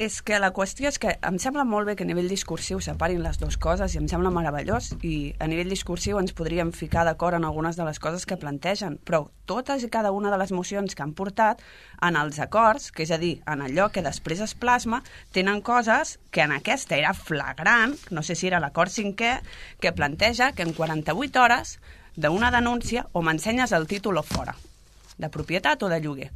És que la qüestió és que em sembla molt bé que a nivell discursiu separin les dues coses i em sembla meravellós, i a nivell discursiu ens podríem ficar d'acord en algunes de les coses que plantegen, però totes i cada una de les mocions que han portat en els acords, que és a dir, en allò que després es plasma, tenen coses que en aquesta era flagrant, no sé si era l'acord cinquè, que planteja que en quaranta-vuit hores d'una denúncia o m'ensenyes el títol o fora, de propietat o de lloguer.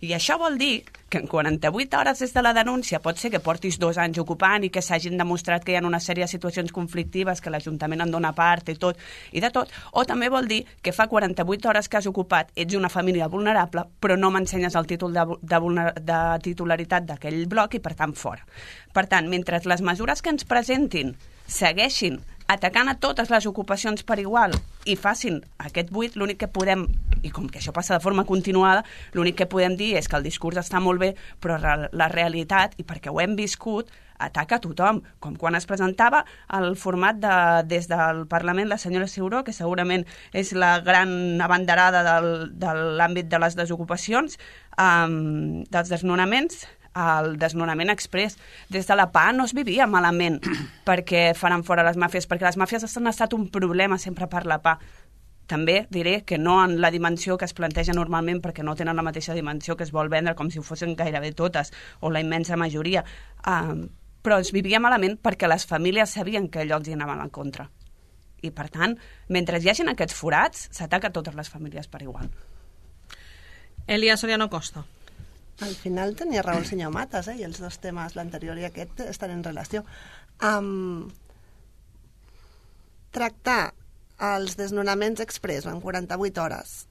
I això vol dir que en quaranta-vuit hores des de la denúncia pot ser que portis dos anys ocupant i que s'hagin demostrat que hi ha una sèrie de situacions conflictives, que l'Ajuntament en dona part i tot, i de tot, o també vol dir que fa quaranta-vuit hores que has ocupat, ets una família vulnerable, però no m'ensenyes el títol de, de, de titularitat d'aquell bloc i per tant fora. Per tant, mentre les mesures que ens presentin segueixin atacant a totes les ocupacions per igual i facin aquest buit, l'únic que podem, i com que això passa de forma continuada, l'únic que podem dir és que el discurs està molt bé, però la realitat, i perquè ho hem viscut, ataca a tothom, com quan es presentava el format de, des del Parlament la senyora Ciuró, que segurament és la gran abanderada del, de l'àmbit de les desocupacions, um, dels desnonaments, el desnonament express. Des de la P A no es vivia malament perquè faran fora les màfies, perquè les màfies han estat un problema sempre per la P A. També diré que no en la dimensió que es planteja normalment, perquè no tenen la mateixa dimensió que es vol vendre com si ho fossin gairebé totes, o la immensa majoria. Um, però es vivia malament perquè les famílies sabien que allò els hi anaven en contra. I per tant, mentre hi hagin aquests forats, s'ataca a totes les famílies per igual. Elia Soriano Costa. Al final tenia raó el senyor Matas, eh? I els dos temes, l'anterior i aquest, estan en relació. Um, tractar els desnonaments express en quaranta-vuit hores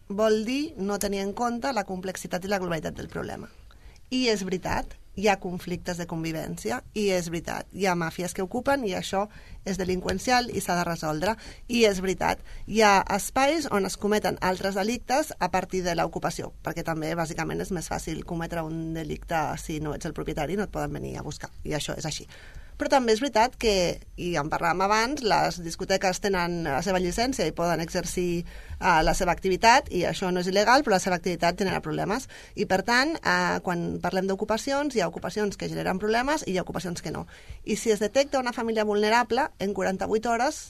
vol dir no tenir en compte la complexitat i la globalitat del problema. I és veritat, hi ha conflictes de convivència, i és veritat, hi ha màfies que ocupen i això és delinqüencial i s'ha de resoldre. I és veritat, hi ha espais on es cometen altres delictes a partir de l'ocupació, perquè també, bàsicament, és més fàcil cometre un delicte si no ets el propietari, no et poden venir a buscar, i això és així. Però també és veritat que, i en parlàvem abans, les discoteques tenen la seva llicència i poden exercir uh, la seva activitat, i això no és il·legal, però la seva activitat genera problemes. I, per tant, uh, quan parlem d'ocupacions, hi ha ocupacions que generen problemes i hi ha ocupacions que no. I si es detecta una família vulnerable, en quaranta-vuit hores,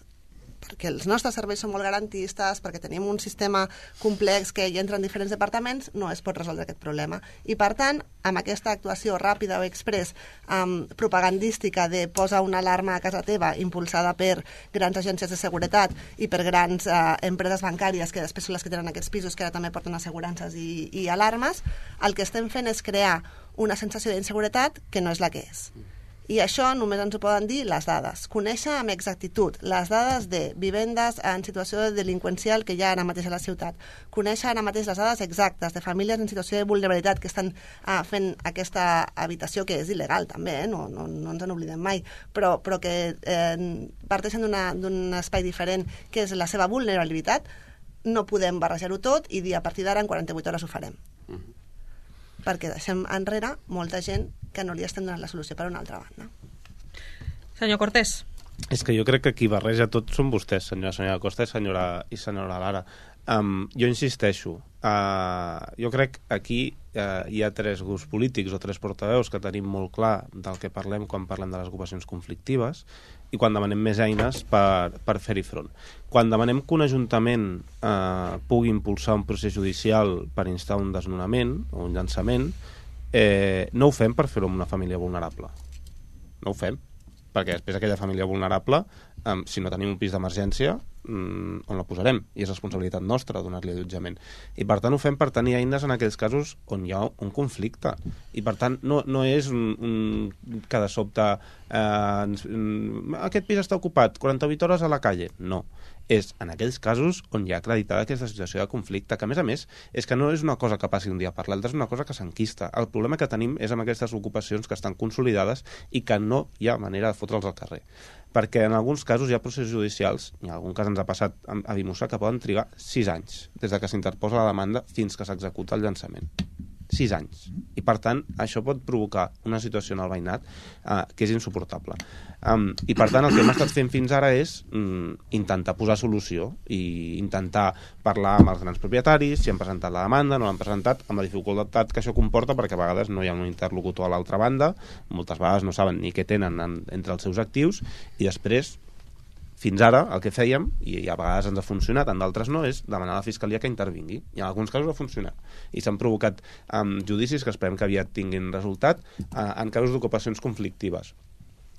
perquè els nostres serveis són molt garantistes, perquè tenim un sistema complex que hi entren diferents departaments, no es pot resoldre aquest problema. I, per tant, amb aquesta actuació ràpida o express um, propagandística de posa una alarma a casa teva, impulsada per grans agències de seguretat i per grans uh, empreses bancàries, que després són les que tenen aquests pisos, que ara també porten assegurances i, i alarmes, el que estem fent és crear una sensació d'inseguretat que no és la que és. I això només ens ho poden dir les dades. Conèixer amb exactitud les dades de vivendes en situació delinqüencial que hi ha ara mateix a la ciutat. Conèixer ara mateix les dades exactes de famílies en situació de vulnerabilitat que estan ah, fent aquesta habitació, que és il·legal també, eh? no, no, no ens en oblidem mai, però, però que eh, parteixen d'un espai diferent, que és la seva vulnerabilitat. No podem barrejar-ho tot i dir a partir d'ara en quaranta-vuit hores ho farem. Mm-hmm. Perquè deixem enrere molta gent que no li estem donant la solució per una altra banda. Senyor Cortés. És que jo crec que qui barreja tot són vostès, senyora, senyora Costa i senyora, i senyora Lara. Um, jo insisteixo, uh, jo crec que aquí uh, hi ha tres grups polítics o tres portaveus que tenim molt clar del que parlem quan parlem de les ocupacions conflictives i quan demanem més eines per, per fer-hi front. Quan demanem que un ajuntament eh, pugui impulsar un procés judicial per instar un desnonament o un llançament, eh, no ho fem per fer-ho amb una família vulnerable. No ho fem. Perquè després aquella família vulnerable, eh, si no tenim un pis d'emergència, mm, on la posarem? I és responsabilitat nostra donar-li allotjament. I per tant ho fem per tenir eines en aquells casos on hi ha un conflicte. I per tant no, no és un, un, que de sobte eh, ens, aquest pis està ocupat, quaranta-vuit hores a la calle. No. És en aquells casos on hi ha acreditada aquesta situació de conflicte, que a més a més és que no és una cosa que passi un dia per l'altre, és una cosa que s'enquista. El problema que tenim és amb aquestes ocupacions que estan consolidades i que no hi ha manera de fotre'ls al carrer. Perquè en alguns casos hi ha processos judicials, i en algun cas ens ha passat a Vimossa, que poden trigar sis anys des de que s'interposa la demanda fins que s'executa el llançament. Sis anys. I, per tant, això pot provocar una situació en el veïnat eh, que és insuportable. Um, I, per tant, el que hem estat fent fins ara és um, intentar posar solució i intentar parlar amb els grans propietaris, si han presentat la demanda, no l'han presentat, amb la dificultat que això comporta, perquè a vegades no hi ha un interlocutor a l'altra banda, moltes vegades no saben ni què tenen en, entre els seus actius, i després fins ara el que fèiem, i a vegades ens ha funcionat, en d'altres no, és demanar a la Fiscalia que intervingui. I en alguns casos ha funcionat. I s'han provocat um, judicis que esperem que aviat tinguin resultat uh, en casos d'ocupacions conflictives.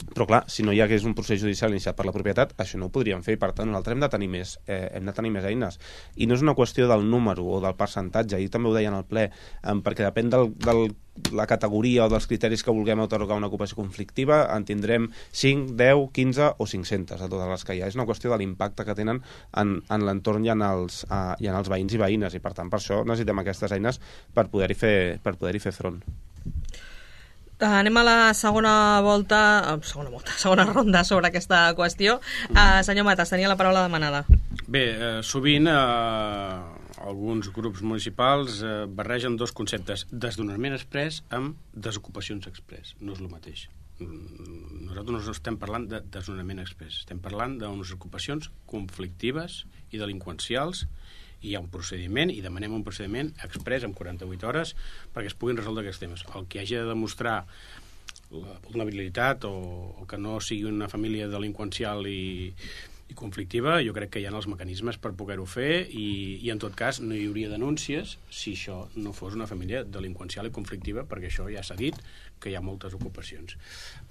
Però clar, si no hi hagués un procés judicial iniciat per la propietat, això no ho podríem fer, i per tant nosaltres hem de tenir més, eh, hem de tenir més eines. I no és una qüestió del número o del percentatge, ahir també ho deien al ple, eh, perquè depèn del, del, la categoria o dels criteris que vulguem atorgar una ocupació conflictiva, en tindrem cinc, deu, quinze o cinc-centes de totes les que hi ha. És una qüestió de l'impacte que tenen en, en l'entorn i, en els, uh, i en els veïns i veïnes, i per tant per això necessitem aquestes eines per poder-hi fer, per poder-hi fer front. Anem a la segona volta, segona volta, segona ronda sobre aquesta qüestió. Uh, senyor Matas, tenia la paraula demanada. Bé, eh, sovint eh, alguns grups municipals eh, barregen dos conceptes, desnonament express amb desocupacions express. No és el mateix. Nosaltres no estem parlant de desnonament express, estem parlant d'unes ocupacions conflictives i delinqüencials. Hi ha un procediment i demanem un procediment express en quaranta-vuit hores perquè es puguin resoldre aquests temes. El que hagi de demostrar la vulnerabilitat o, o que no sigui una família delinqüencial i, i conflictiva, jo crec que hi ha els mecanismes per poder-ho fer i, i en tot cas no hi hauria denúncies si això no fos una família delinqüencial i conflictiva, perquè això ja s'ha dit que hi ha moltes ocupacions.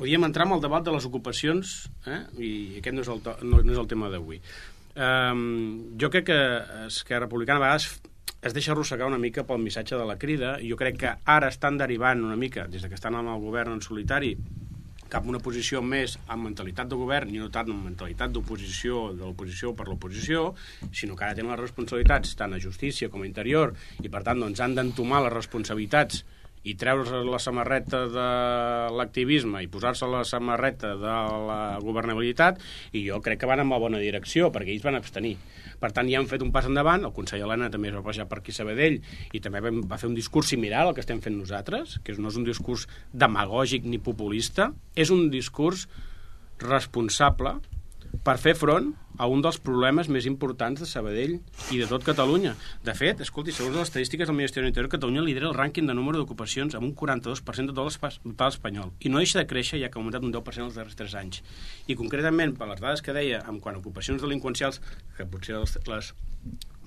Podríem entrar en el debat de les ocupacions, eh? I aquest no és el, to, no, no és el tema d'avui. Um, jo crec que Esquerra Republicana a vegades es deixa arrossegar una mica pel missatge de la crida. Jo crec que ara estan derivant una mica, des que estan amb el govern en solitari, cap a una posició més amb mentalitat de govern i no tant amb mentalitat d'oposició, de l'oposició per l'oposició, sinó que ara tenen les responsabilitats tant a justícia com a interior i per tant doncs, han d'entomar les responsabilitats i treure la samarreta de l'activisme i posar-se la samarreta de la governabilitat, i jo crec que van en la bona direcció, perquè ells van abstenir. Per tant, ja han fet un pas endavant, el conseller Elena també es va passejar per aquí a Sabadell i també va fer un discurs similar al que estem fent nosaltres, que no és un discurs demagògic ni populista, és un discurs responsable per fer front a un dels problemes més importants de Sabadell i de tot Catalunya. De fet, escolti, segons les estadístiques del Ministeri de l'Interior, Catalunya lidera el rànquing de número d'ocupacions amb un quaranta-dos per cent de tot l'espai espanyol. I no deixa de créixer, ja que ha augmentat un deu per cent els darrers tres anys. I concretament, per les dades que deia, en quant a ocupacions delinqüencials, que potser les, les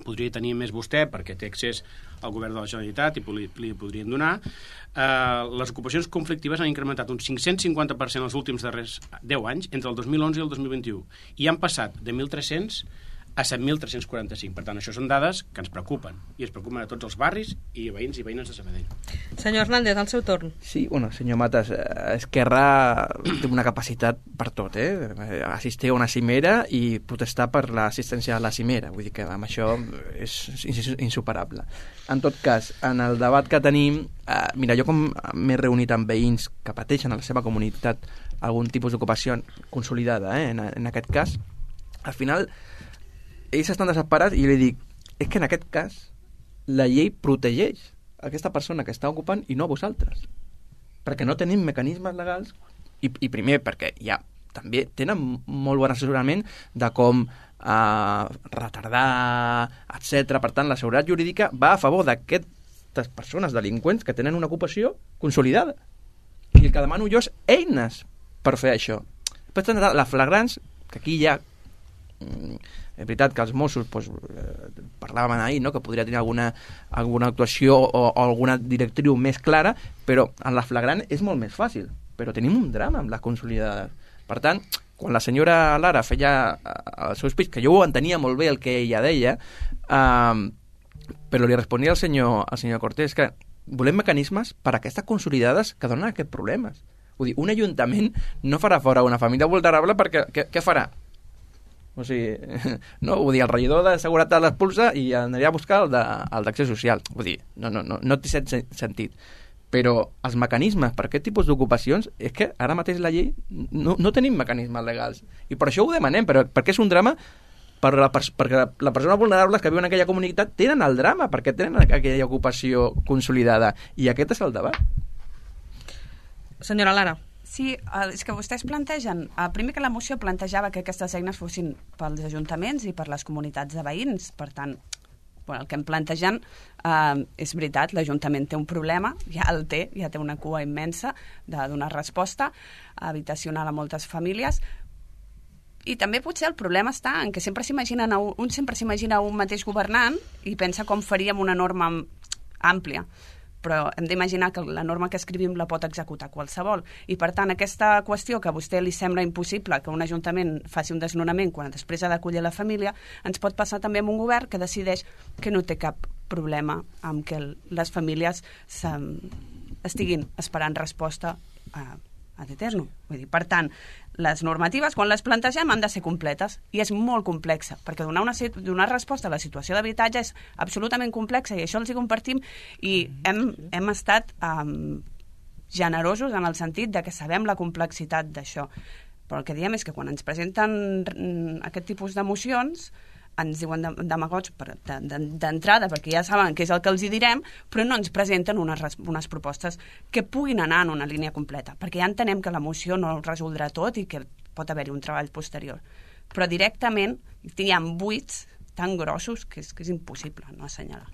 podria tenir més vostè, perquè té accés al govern de la Generalitat i li, li podrien donar, eh, les ocupacions conflictives han incrementat un cinc-cents cinquanta per cent els últims darrers deu anys, entre el dos mil onze i el dos mil vint-i-u, i han passat de mil tres-cents a set mil tres-cents quaranta-cinc. Per tant, això són dades que ens preocupen, i ens preocupen a tots els barris i veïns i veïnes de Sabadell. Senyor Hernández, al seu torn. Sí, bueno, senyor Matas, Esquerra té una capacitat per tot, eh? Assistir a una cimera i protestar per l'assistència a la cimera, vull dir que amb això és insuperable. En tot cas, en el debat que tenim, eh, mira, jo com m'he reunit amb veïns que pateixen a la seva comunitat algun tipus d'ocupació consolidada, eh, en, en aquest cas, al final ells estan desesperats i jo li dic, és que en aquest cas la llei protegeix aquesta persona que està ocupant i no a vosaltres, perquè no tenim mecanismes legals i, i primer perquè ja també tenen molt bon assessorament de com eh, retardar, etcètera. Per tant, la seguretat jurídica va a favor d'aquestes persones delinqüents que tenen una ocupació consolidada. I el que demano jo és eines per fer això. Després tenen les flagrants, que aquí ja és veritat que els Mossos doncs, eh, parlàvem ahir, no? Que podria tenir alguna, alguna actuació o, o alguna directriu més clara, però en la flagrant és molt més fàcil, però tenim un drama amb les consolidades. Per tant, quan la senyora Lara feia el seu speech, que jo ho entenia molt bé el que ella deia, eh, però li responia al senyor, al senyor Cortés que volem mecanismes per a aquestes consolidades que donen aquests problemes. Vull dir, un ajuntament no farà fora una família vulnerable perquè què, què farà? O sigui, no, vull dir, el regidor de seguretat l'expulsa i aniria a buscar el d'accés social. Vull dir, no, no, no, no té sentit. Però els mecanismes per aquest tipus d'ocupacions és que ara mateix la llei no, no tenim mecanismes legals. I per això ho demanem, però, perquè és un drama per la, perquè la persona vulnerable que viu en aquella comunitat tenen el drama, perquè tenen aquella ocupació consolidada. I aquest és el debat. Senyora Lara. Sí, és que vostès plantegen, primer que la moció plantejava que aquestes eines fossin pels ajuntaments i per les comunitats de veïns, per tant, bueno, el que em plantegen eh, és veritat, l'Ajuntament té un problema, ja el té, ja té una cua immensa de donar resposta habitacional a moltes famílies, i també potser el problema està en que sempre s'imaginen, un sempre s'imagina un mateix governant i pensa com faríem una norma àmplia, però hem d'imaginar que la norma que escrivim la pot executar qualsevol. I, per tant, aquesta qüestió que a vostè li sembla impossible que un ajuntament faci un desnonament quan després ha d'acollir la família, ens pot passar també amb un govern que decideix que no té cap problema amb que les famílies estiguin esperant resposta a ad eterno. Vull dir, per tant, les normatives, quan les plantegem, han de ser completes, i és molt complexa, perquè donar, una, donar resposta a la situació d'habitatge és absolutament complexa, i això els hi compartim, i hem, hem estat um, generosos en el sentit de que sabem la complexitat d'això. Però el que diem és que quan ens presenten aquest tipus de mocions, ens diuen demagogs d'entrada, perquè ja saben què és el que els hi direm, però no ens presenten unes, unes propostes que puguin anar en una línia completa, perquè ja entenem que la moció no ho resoldrà tot i que pot haver-hi un treball posterior. Però directament hi ha buits tan grossos que és, que és impossible no assenyalar.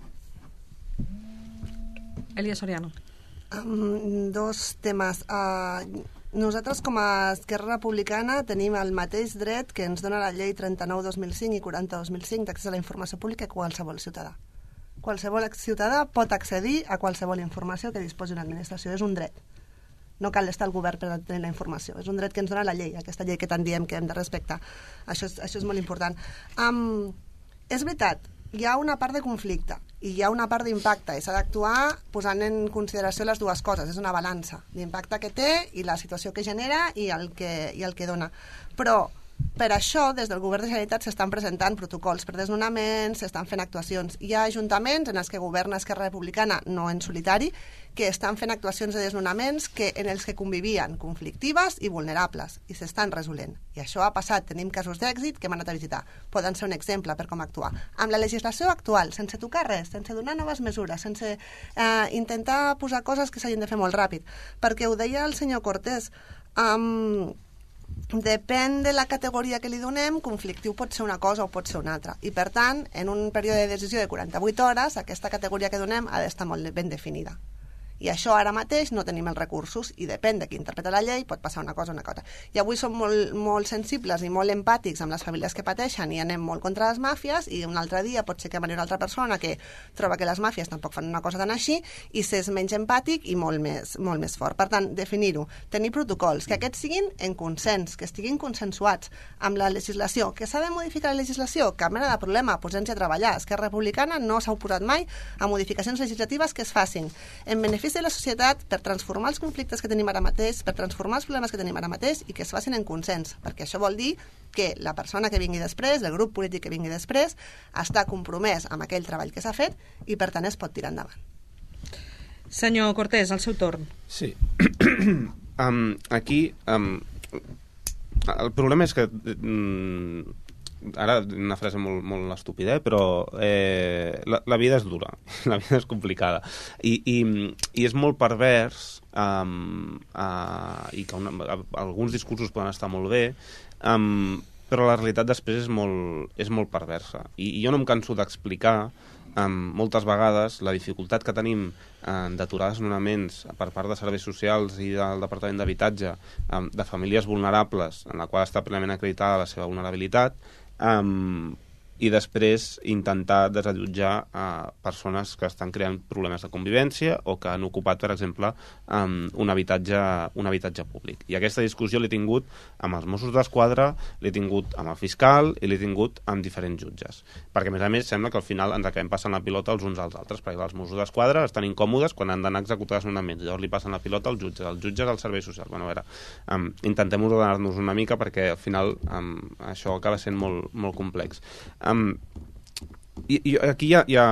Elia Soriano. Um, dos temes. Uh, Nosaltres, com a Esquerra Republicana, tenim el mateix dret que ens dona la llei trenta-nou dos mil cinc i quaranta dos mil cinc d'accés a la informació pública que qualsevol ciutadà. Qualsevol ciutadà pot accedir a qualsevol informació que disposi una administració. És un dret. No cal estar al govern per tenir la informació. És un dret que ens dona la llei, aquesta llei que tant diem que hem de respectar. Això és, això és molt important. Um, és veritat, hi ha una part de conflicte. i hi ha una part d'impacte i s'ha d'actuar posant en consideració les dues coses, és una balança, l'impacte que té i la situació que genera i el que, i el que dona. Però per això, des del Govern de Generalitat s'estan presentant protocols per desnonaments, s'estan fent actuacions. Hi ha ajuntaments en els que governa Esquerra Republicana, no en solitari, que estan fent actuacions de desnonaments que, en els que convivien conflictives i vulnerables, i s'estan resolent. I això ha passat, tenim casos d'èxit que hem anat a visitar. Poden ser un exemple per com actuar. Amb la legislació actual, sense tocar res, sense donar noves mesures, sense eh, intentar posar coses que s'hagin de fer molt ràpid. Perquè ho deia el senyor Cortés, um, depèn de la categoria que li donem, conflictiu pot ser una cosa o pot ser una altra. I, per tant, en un període de decisió de quaranta-vuit hores, aquesta categoria que donem ha d'estar molt ben definida. I això ara mateix no tenim els recursos i depèn de qui interpreta la llei, pot passar una cosa o una cosa. I avui som molt, molt sensibles i molt empàtics amb les famílies que pateixen i anem molt contra les màfies, i un altre dia pot ser que vagi una altra persona que troba que les màfies tampoc fan una cosa tan així i s'és menys empàtic i molt més, molt més fort. Per tant, definir-ho, tenir protocols, que aquests siguin en consens, que estiguin consensuats amb la legislació, que s'ha de modificar la legislació, cap mena de problema, posem-nos a treballar. Esquerra Republicana no s'ha oposat mai a modificacions legislatives que es facin en benefici de la societat per transformar els conflictes que tenim ara mateix, per transformar els problemes que tenim ara mateix i que es facin en consens, perquè això vol dir que la persona que vingui després, el grup polític que vingui després, està compromès amb aquell treball que s'ha fet i per tant es pot tirar endavant. Senyor Cortés, el seu torn. Sí. um, aquí um, el problema és que um, ara una frase molt, molt estúpida, eh? Però eh, la, la vida és dura, la vida és complicada i, i, i és molt pervers um, uh, i que una, alguns discursos poden estar molt bé, um, però la realitat després és molt, és molt perversa i, i jo no em canso d'explicar um, moltes vegades la dificultat que tenim um, d'aturar desnonaments per part de serveis socials i del Departament d'Habitatge um, de famílies vulnerables en la qual està plenament acreditada la seva vulnerabilitat, Um, i després intentar desallotjar uh, persones que estan creant problemes de convivència o que han ocupat, per exemple, um, un, habitatge, un habitatge públic. I aquesta discussió l'he tingut amb els Mossos d'Esquadra, l'he tingut amb el fiscal i l'he tingut amb diferents jutges. Perquè, a més a més, sembla que al final ens acabem passant la pilota els uns als altres, perquè els Mossos d'Esquadra estan incòmodes quan han d'anar a executar desnonaments. Llavors li passen la pilota als jutges, els jutges als serveis socials. Bueno, a veure, um, intentem ordenar-nos una mica perquè al final um, això acaba sent molt, molt complex. Um, i, i aquí hi ha, hi ha,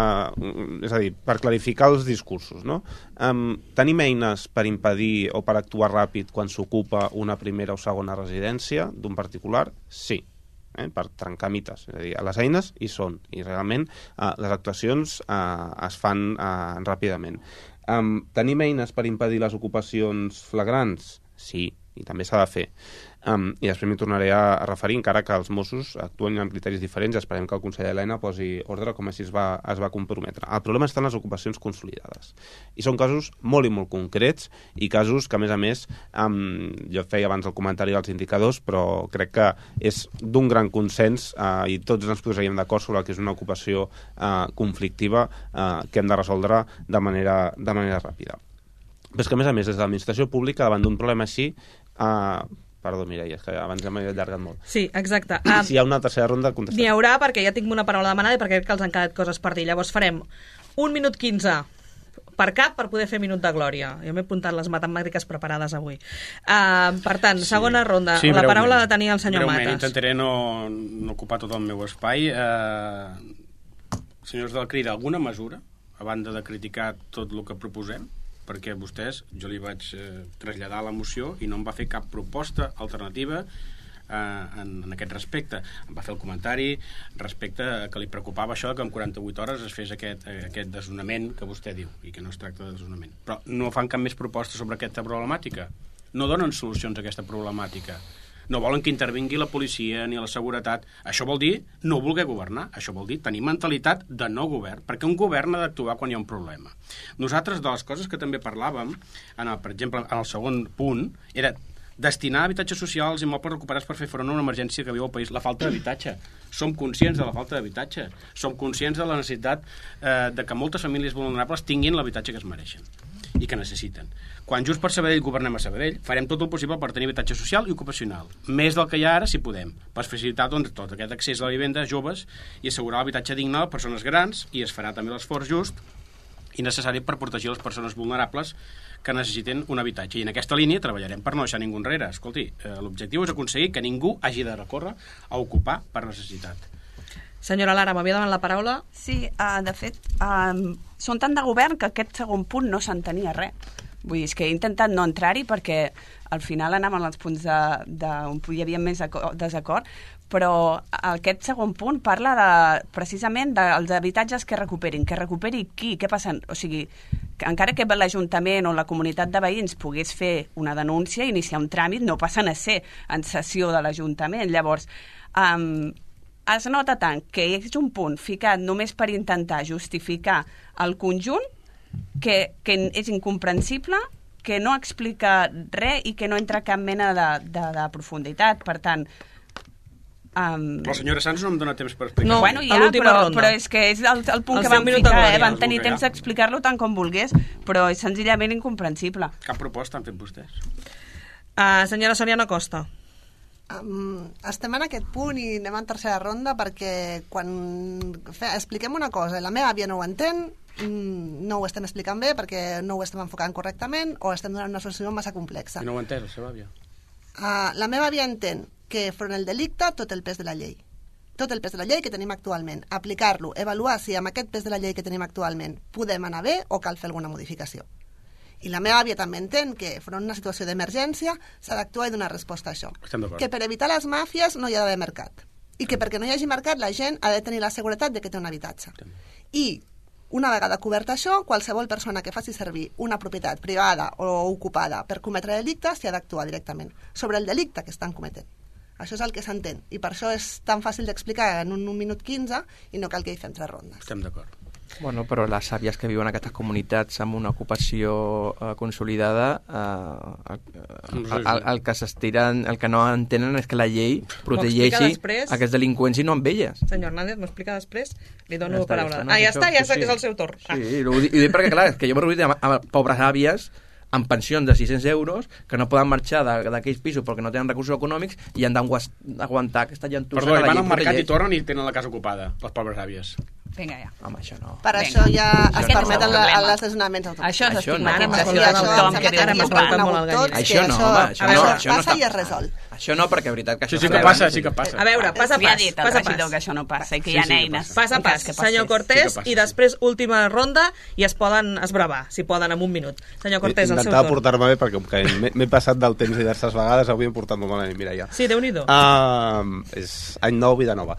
és a dir, per clarificar els discursos, no? Um, tenim eines per impedir o per actuar ràpid quan s'ocupa una primera o segona residència d'un particular? Sí. Eh, per trencar mites, és a dir, les eines hi són i realment uh, les actuacions uh, es fan uh, ràpidament. Um, tenim eines per impedir les ocupacions flagrants? Sí, i també s'ha de fer. Um, I després m'hi tornaré a, a referir, encara que els Mossos actuen amb criteris diferents, esperem que el conseller Elena posi ordre com així es va, es va comprometre. El problema està en les ocupacions consolidades. I són casos molt i molt concrets i casos que, a més a més, um, jo feia abans el comentari dels indicadors, però crec que és d'un gran consens uh, i tots ens posaríem d'acord sobre el que és una ocupació uh, conflictiva uh, que hem de resoldre de manera, de manera ràpida. Però és que, a més a més, des de l'administració pública, davant d'un problema així, uh, perdó, Mireia, és que abans ja m'he allargat molt. Sí, exacte. Um, si hi ha una tercera ronda, contestaré. N'hi haurà, perquè ja tinc una paraula demanada i perquè crec que els han quedat coses per dir. Llavors farem un minut quinze per cap per poder fer minut de glòria. Jo m'he apuntat les matemàtiques preparades avui. Uh, per tant, sí. segona ronda. Sí, la paraula la tenia el senyor breument, Matas. Intentaré no, no ocupar tot el meu espai. Uh, senyors del CRID, alguna mesura, a banda de criticar tot el que proposem? Perquè vostès, jo li vaig eh, traslladar la moció i no em va fer cap proposta alternativa eh, en, en aquest respecte. Em va fer el comentari respecte a que li preocupava això que en quaranta-vuit hores es fes aquest, aquest desnonament que vostè diu i que no es tracta de desnonament. Però no fan cap més proposta sobre aquesta problemàtica. No donen solucions a aquesta problemàtica. No volen que intervingui la policia ni la seguretat. Això vol dir no voler governar. Això vol dir tenir mentalitat de no govern, perquè un govern ha d'actuar quan hi ha un problema. Nosaltres, de les coses que també parlàvem, en el, per exemple, en el segon punt, era destinar a habitatges socials i immobles recuperats per fer front a una emergència que viu al país, la falta d'habitatge. Som conscients de la falta d'habitatge. Som conscients de la necessitat eh, de que moltes famílies vulnerables tinguin l'habitatge que es mereixen. i que necessiten. Quan Junts per Sabadell governem a Sabadell, farem tot el possible per tenir habitatge social i ocupacional, més del que hi ha ara si podem, per facilitar doncs, tot aquest accés a la vivenda a joves i assegurar l'habitatge digne a persones grans, i es farà també l'esforç just i necessari per protegir les persones vulnerables que necessiten un habitatge. I en aquesta línia treballarem per no deixar ningú enrere. Escolti, eh, l'objectiu és aconseguir que ningú hagi de recórrer a ocupar per necessitat. Senyora Lara, m'havia demanat la paraula? Sí, uh, de fet, uh, són tant de govern que aquest segon punt no s'entenia res. Vull dir, és que he intentat no entrar-hi perquè al final anàvem als punts de, de, on hi havia més desacord, però aquest segon punt parla de, precisament dels habitatges que recuperin. Que recuperi qui? Què passa? O sigui, que encara que l'Ajuntament o la comunitat de veïns pogués fer una denúncia, iniciar un tràmit, no passen a ser en sessió de l'Ajuntament. Llavors, um, es nota tant que és un punt ficat només per intentar justificar el conjunt que, que és incomprensible, que no explica res i que no entra cap mena de, de, de profunditat. Per tant... Um... Però la senyora Sanz no em dóna temps per explicar. No, bueno, ja, però, però és que és el, el punt Els que vam deu minuts de ficar, eh? glòria. Vam tenir temps d'explicar-lo tant com volgués, però és senzillament incomprensible. Cap proposta han fet vostès? Uh, senyora Soriano Costa. Um, estem en aquest punt i anem en tercera ronda perquè quan fe, expliquem una cosa i la meva àvia no ho entén, mm, no ho estem explicant bé perquè no ho estem enfocant correctament o estem donant una solució massa complexa. I no ho ha entès, la seva àvia? Uh, la meva àvia entén que front al delicte tot el pes de la llei. Tot el pes de la llei que tenim actualment. Aplicar-lo, avaluar si amb aquest pes de la llei que tenim actualment podem anar bé o cal fer alguna modificació. I la meva àvia també entén que, front a una situació d'emergència, s'ha d'actuar i donar resposta a això. Que per evitar les màfies no hi ha d'haver mercat. I que perquè no hi hagi mercat la gent ha de tenir la seguretat de que té un habitatge. I, una vegada cobert això, qualsevol persona que faci servir una propietat privada o ocupada per cometre delictes s'hi ha d'actuar directament sobre el delicte que estan cometent. Això és el que s'entén. I per això és tan fàcil d'explicar en un, un minut quinze i no cal que hi fem tres rondes. Estem d'acord. Bueno, però les àvies que viuen en aquestes comunitats amb una ocupació eh, consolidada, eh, el, el, el, el que s'estiren, el que no entenen és que la llei protegeixi aquests delinqüents i no amb elles. Senyor Hernández, m'ho explica després? Li dono ja està, paraula. Ja està, no? Ah, ja Això, està, ja sí, està, sí. que és el seu torn. Ah. Sí, ho dic, ho dic perquè, clar, és que jo m'he reunit amb, amb pobres àvies amb pensions de sis-cents euros que no poden marxar d'aquells pisos perquè no tenen recursos econòmics i han d'aguantar aquesta llentussa. Perdó, van al mercat i tornen i tenen la casa ocupada, les pobres àvies. Vinga, ja. Home, això no. Per Vinga. això ja Això es no permeten és el problema. els desnonaments automàtics. Això és Això no. estigmatització Ara de m'ha tothom semblat- que viu ara en m'ha un semblat barri. molt al galliner. Això no, home, això a no, veure, això no passa està i es resol. Això no, perquè és veritat que Sí, això sí que està- passa, sí que passa. A veure, pas a Ja ha pas, dit el pas a regidor pas. que això no passa i que Sí, hi ha sí que eines. passa. Pas a en cas pas, que passés. senyor Sí Cortés, que passa, i després última ronda i es poden esbravar, si poden, en un minut. Senyor Cortés, el seu Intentava torn. portar-me bé perquè com que m'he- m'he passat del temps diverses vegades, avui em portat molt malament, mira ja. Sí, Déu-n'hi-do. Uh, és any nou, vida nova.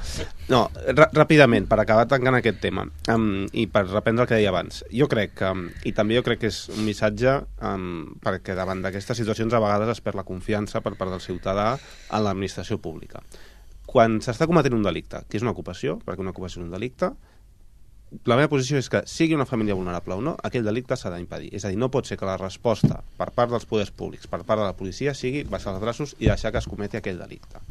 No, ràpidament, per acabar tancant aquest tema um, i per reprendre el que deia abans, jo crec que, um, i també jo crec que és un missatge um, perquè davant d'aquestes situacions a vegades es perd la confiança per part del ciutadà en l'administració pública. Quan s'està cometent un delicte, que és una ocupació, perquè una ocupació és un delicte, la meva posició és que sigui una família vulnerable o no, aquell delicte s'ha d'impedir. És a dir, no pot ser que la resposta per part dels poders públics, per part de la policia, sigui baixar els braços i deixar que es cometi aquell delicte.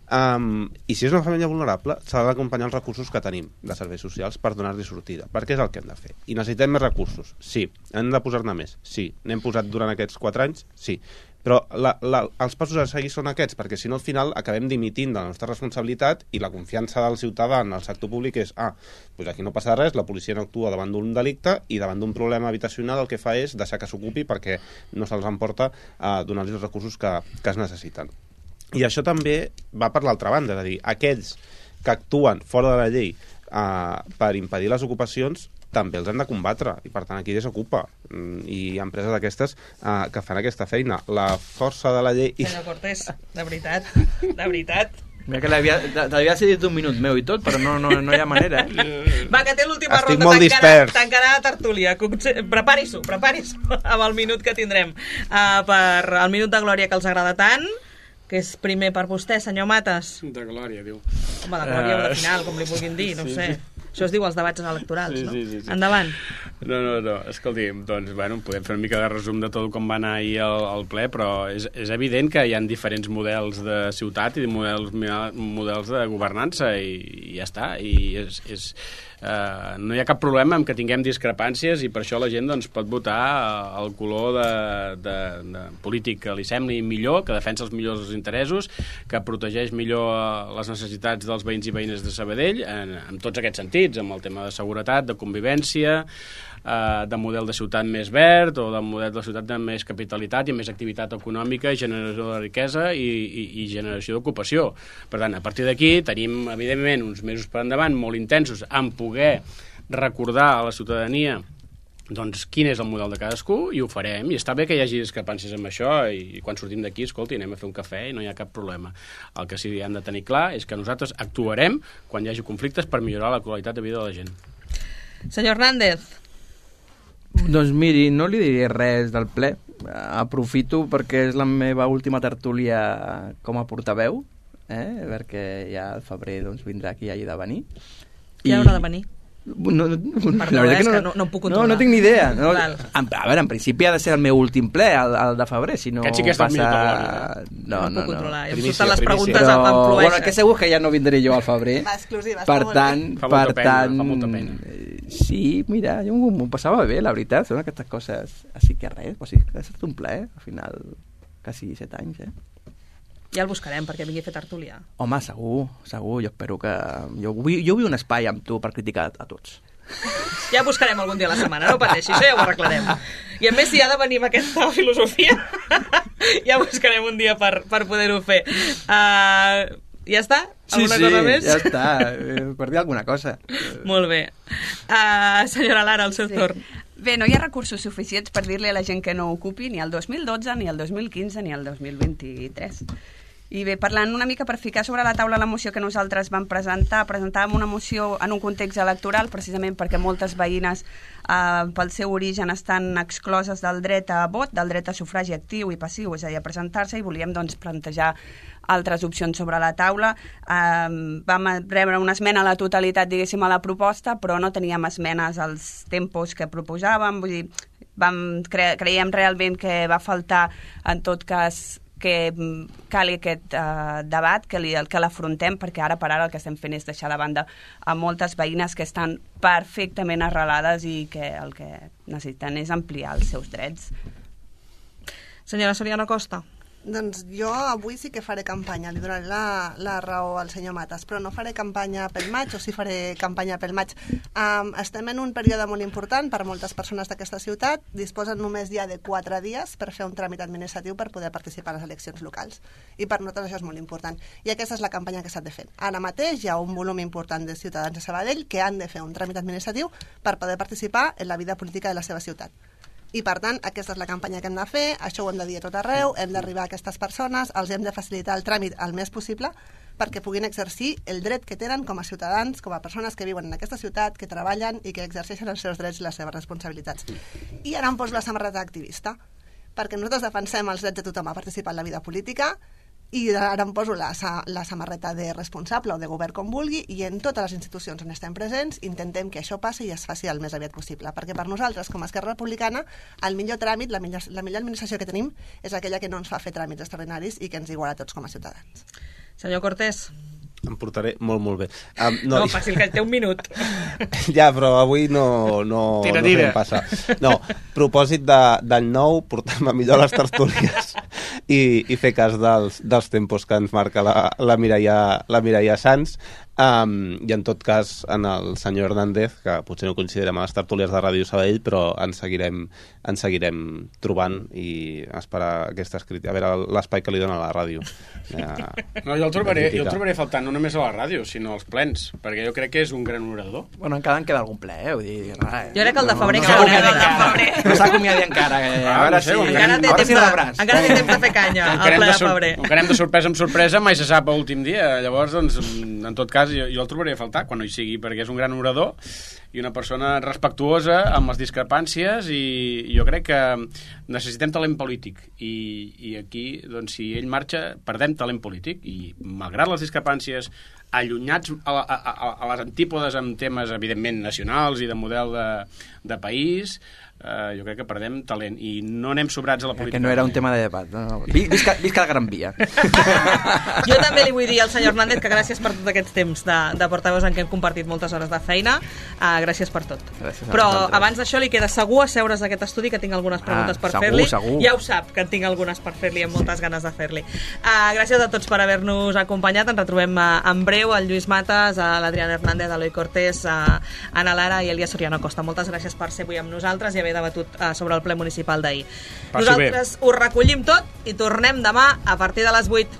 Um, I si és una família vulnerable, s'ha d'acompanyar els recursos que tenim de serveis socials per donar-li sortida, perquè és el que hem de fer. I necessitem més recursos? Sí. Hem de posar-ne més? Sí. N'hem posat durant aquests quatre anys? Sí. Però la, la, els passos a seguir són aquests, perquè si no al final acabem dimitint de la nostra responsabilitat i la confiança del ciutadà en el sector públic és ah, doncs aquí no passa res, la policia no actua davant d'un delicte i davant d'un problema habitacional el que fa és deixar que s'ocupi perquè no se'ls emporta a donar-los els recursos que, que es necessiten. I això també va per l'altra banda, és a dir, aquells que actuen fora de la llei eh, per impedir les ocupacions també els hem de combatre, i per tant aquí desocupa i hi ha empreses d'aquestes eh, que fan aquesta feina. La força de la llei... Senyor Cortés, de veritat, de veritat. Mira que t'havia cedit un minut meu i tot, però no, no, no hi ha manera, eh? Va, que té l'última Estic ronda, molt tancarà, dispers. tancarà la tertúlia. Prepari-s'ho, prepari-s'ho amb el minut que tindrem uh, per el minut de glòria que els agrada tant, que és primer per vostè, senyor Matas. De glòria, diu. Home, de glòria o de Uh, final, com li vulguin dir, no sí, sé. sí. Això es diu els debats electorals, Sí, no? sí, sí, sí. Endavant. No, no, no, escolti'm, doncs, bueno, podem fer una mica de resum de tot com va anar ahir al, al ple, però és, és evident que hi ha diferents models de ciutat i models, models de governança i, i ja està, i és... és Uh, no hi ha cap problema en que tinguem discrepàncies i per això la gent doncs, pot votar el color de, de, de polític que li sembli millor, que defensa els millors interessos, que protegeix millor les necessitats dels veïns i veïnes de Sabadell en, en tots aquests sentits, amb el tema de seguretat, de convivència, uh, de model de ciutat més verd o de model de ciutat de més capitalitat i més activitat econòmica, generació de riquesa i, i, i generació d'ocupació. Per tant, a partir d'aquí tenim, evidentment, uns mesos per endavant molt intensos en poder recordar a la ciutadania doncs, quin és el model de cadascú i ho farem, i està bé que hi hagi discrepàncies amb això i quan sortim d'aquí, escolti, anem a fer un cafè i no hi ha cap problema. El que sí que hem de tenir clar és que nosaltres actuarem quan hi hagi conflictes per millorar la qualitat de vida de la gent. Senyor Hernández. Doncs miri, no li diré res del ple. Aprofito perquè és la meva última tertúlia com a portaveu, eh? Perquè ja al febrer doncs, vindrà qui hagi de venir. Qui haurà de venir? No, no, Perdó, és que no, no, no em puc controlar. No, no tinc ni idea. No, a, a veure, en principi ha de ser el meu últim ple, el, el de febrer, si no sí que passa... No, no, no, puc controlar. No. Em Primicia, surten les preguntes Però, amb flueixen. bueno, que segur que ja no vindré jo al febrer. Va, exclusiva, per tant, fa per molta pena, tant, fa molta pena. Sí, mira, jo m'ho passava bé, la veritat, són aquestes coses, així que res, o sigui, ha estat un ple, al final, quasi set anys, eh? Ja el buscarem perquè vingui a fer tertúlia. Home, segur, segur, jo espero que... Jo vull, jo vull un espai amb tu per criticar a tots. Ja buscarem algun dia a la setmana, no pateixi, això ja ho arreglarem. I a més, si ha de venir amb aquesta filosofia, ja buscarem un dia per, per poder-ho fer. Uh, ja està? Alguna sí, sí, cosa més? ja està, eh, per dir alguna cosa. Molt bé. Uh, senyora Lara, el seu Sí. torn. Bé, no hi ha recursos suficients per dir-li a la gent que no ocupi ni el dos mil dotze, ni el dos mil quinze, ni el dos mil vint-i-tres. I bé, parlant una mica per ficar sobre la taula la moció que nosaltres vam presentar, presentàvem una moció en un context electoral, precisament perquè moltes veïnes eh, pel seu origen estan excloses del dret a vot, del dret a sufragi actiu i passiu, és a dir, a presentar-se, i volíem doncs, plantejar altres opcions sobre la taula. Eh, vam rebre una esmena a la totalitat, diguéssim, a la proposta, però no teníem esmenes als tempos que proposàvem, vull dir, vam cre creiem realment que va faltar, en tot cas, que cali aquest uh, debat, que, li, que l'afrontem, perquè ara per ara el que estem fent és deixar de banda a moltes veïnes que estan perfectament arrelades i que el que necessiten és ampliar els seus drets. Senyora Soriano Costa. Doncs jo avui sí que faré campanya, li donaré la, la raó al senyor Matas, però no faré campanya pel maig, o sí faré campanya pel maig. Um, estem en un període molt important per moltes persones d'aquesta ciutat, disposen només ja de quatre dies per fer un tràmit administratiu per poder participar a les eleccions locals, i per nosaltres això és molt important. I aquesta és la campanya que s'ha de fer. Ara mateix hi ha un volum important de ciutadans de Sabadell que han de fer un tràmit administratiu per poder participar en la vida política de la seva ciutat. I, per tant, aquesta és la campanya que hem de fer, això ho hem de dir a tot arreu, hem d'arribar a aquestes persones, els hem de facilitar el tràmit el més possible perquè puguin exercir el dret que tenen com a ciutadans, com a persones que viuen en aquesta ciutat, que treballen i que exerceixen els seus drets i les seves responsabilitats. I ara em poso la samarreta activista, perquè nosaltres defensem els drets de tothom a participar en la vida política, i ara em poso la, la samarreta de responsable o de govern com vulgui, i en totes les institucions on estem presents intentem que això passi i es faci el més aviat possible, perquè per nosaltres, com a Esquerra Republicana, el millor tràmit, la millor, la millor administració que tenim és aquella que no ens fa fer tràmits extraordinaris i que ens iguala a tots com a ciutadans. Senyor Cortés. Em portaré molt, molt bé. Um, no, no fàcil, que té un minut. Ja, però avui no, no, tira, no tira. fem passar. No, propòsit de, d'any nou, portar-me millor les tertúlies i, i fer cas dels, dels tempos que ens marca la, la, Mireia, la Mireia Sans. Um, I en tot cas, en el senyor Hernández, que potser no considerem a les tertúlies de Ràdio Sabadell, però ens seguirem, ens seguirem trobant i esperar aquestes crítiques. A veure l'espai que li dona a la ràdio. Ja, no, jo el, trobaré, jo el trobaré faltant no només a la ràdio, sinó als plens, perquè jo crec que és un gran orador. Bueno, encara en queda algun ple, eh? Vull dir, res, jo crec que el de febrer... No, no, no, no, no, no s'ha acomiadat encara. Eh? Ah, a veure no sé, si... Encara té temps, de, encara té temps de fer canya al ple de febrer. Com que anem de sorpresa en sorpresa, mai se sap a últim dia. Llavors, doncs, en tot cas, jo, jo el trobaré a faltar quan no hi sigui, perquè és un gran orador i una persona respectuosa amb les discrepàncies, i jo crec que necessitem talent polític, i, i aquí, doncs, si ell marxa, perdem talent polític, i malgrat les discrepàncies allunyats a, a, a, a les antípodes amb temes, evidentment, nacionals i de model de, de país, Uh, jo crec que perdem talent i no anem sobrats a la política. Que no era un tema de debat. No? Visca, visca la Gran Via. Jo també li vull dir al senyor Hernández que gràcies per tots aquests temps de, de portaveus en què hem compartit moltes hores de feina. Uh, gràcies per tot. Gràcies Però vosaltres. Abans d'això li queda segur asseure's d'aquest estudi, que tinc algunes preguntes ah, per segur, fer-li. Segur. Ja ho sap, que en tinc algunes per fer-li, amb moltes ganes de fer-li. Uh, gràcies a tots per haver-nos acompanyat. Ens retrobem uh, en breu, el Lluís Matas, a l'Adrián Hernández, a l'Eloi Cortés, a Ana Lara i Elia Soriano Costa. Moltes gràcies per ser avui amb nosaltres i haver debatut uh, sobre el ple municipal d'ahir. Nosaltres ho recollim tot i tornem demà a partir de les vuit.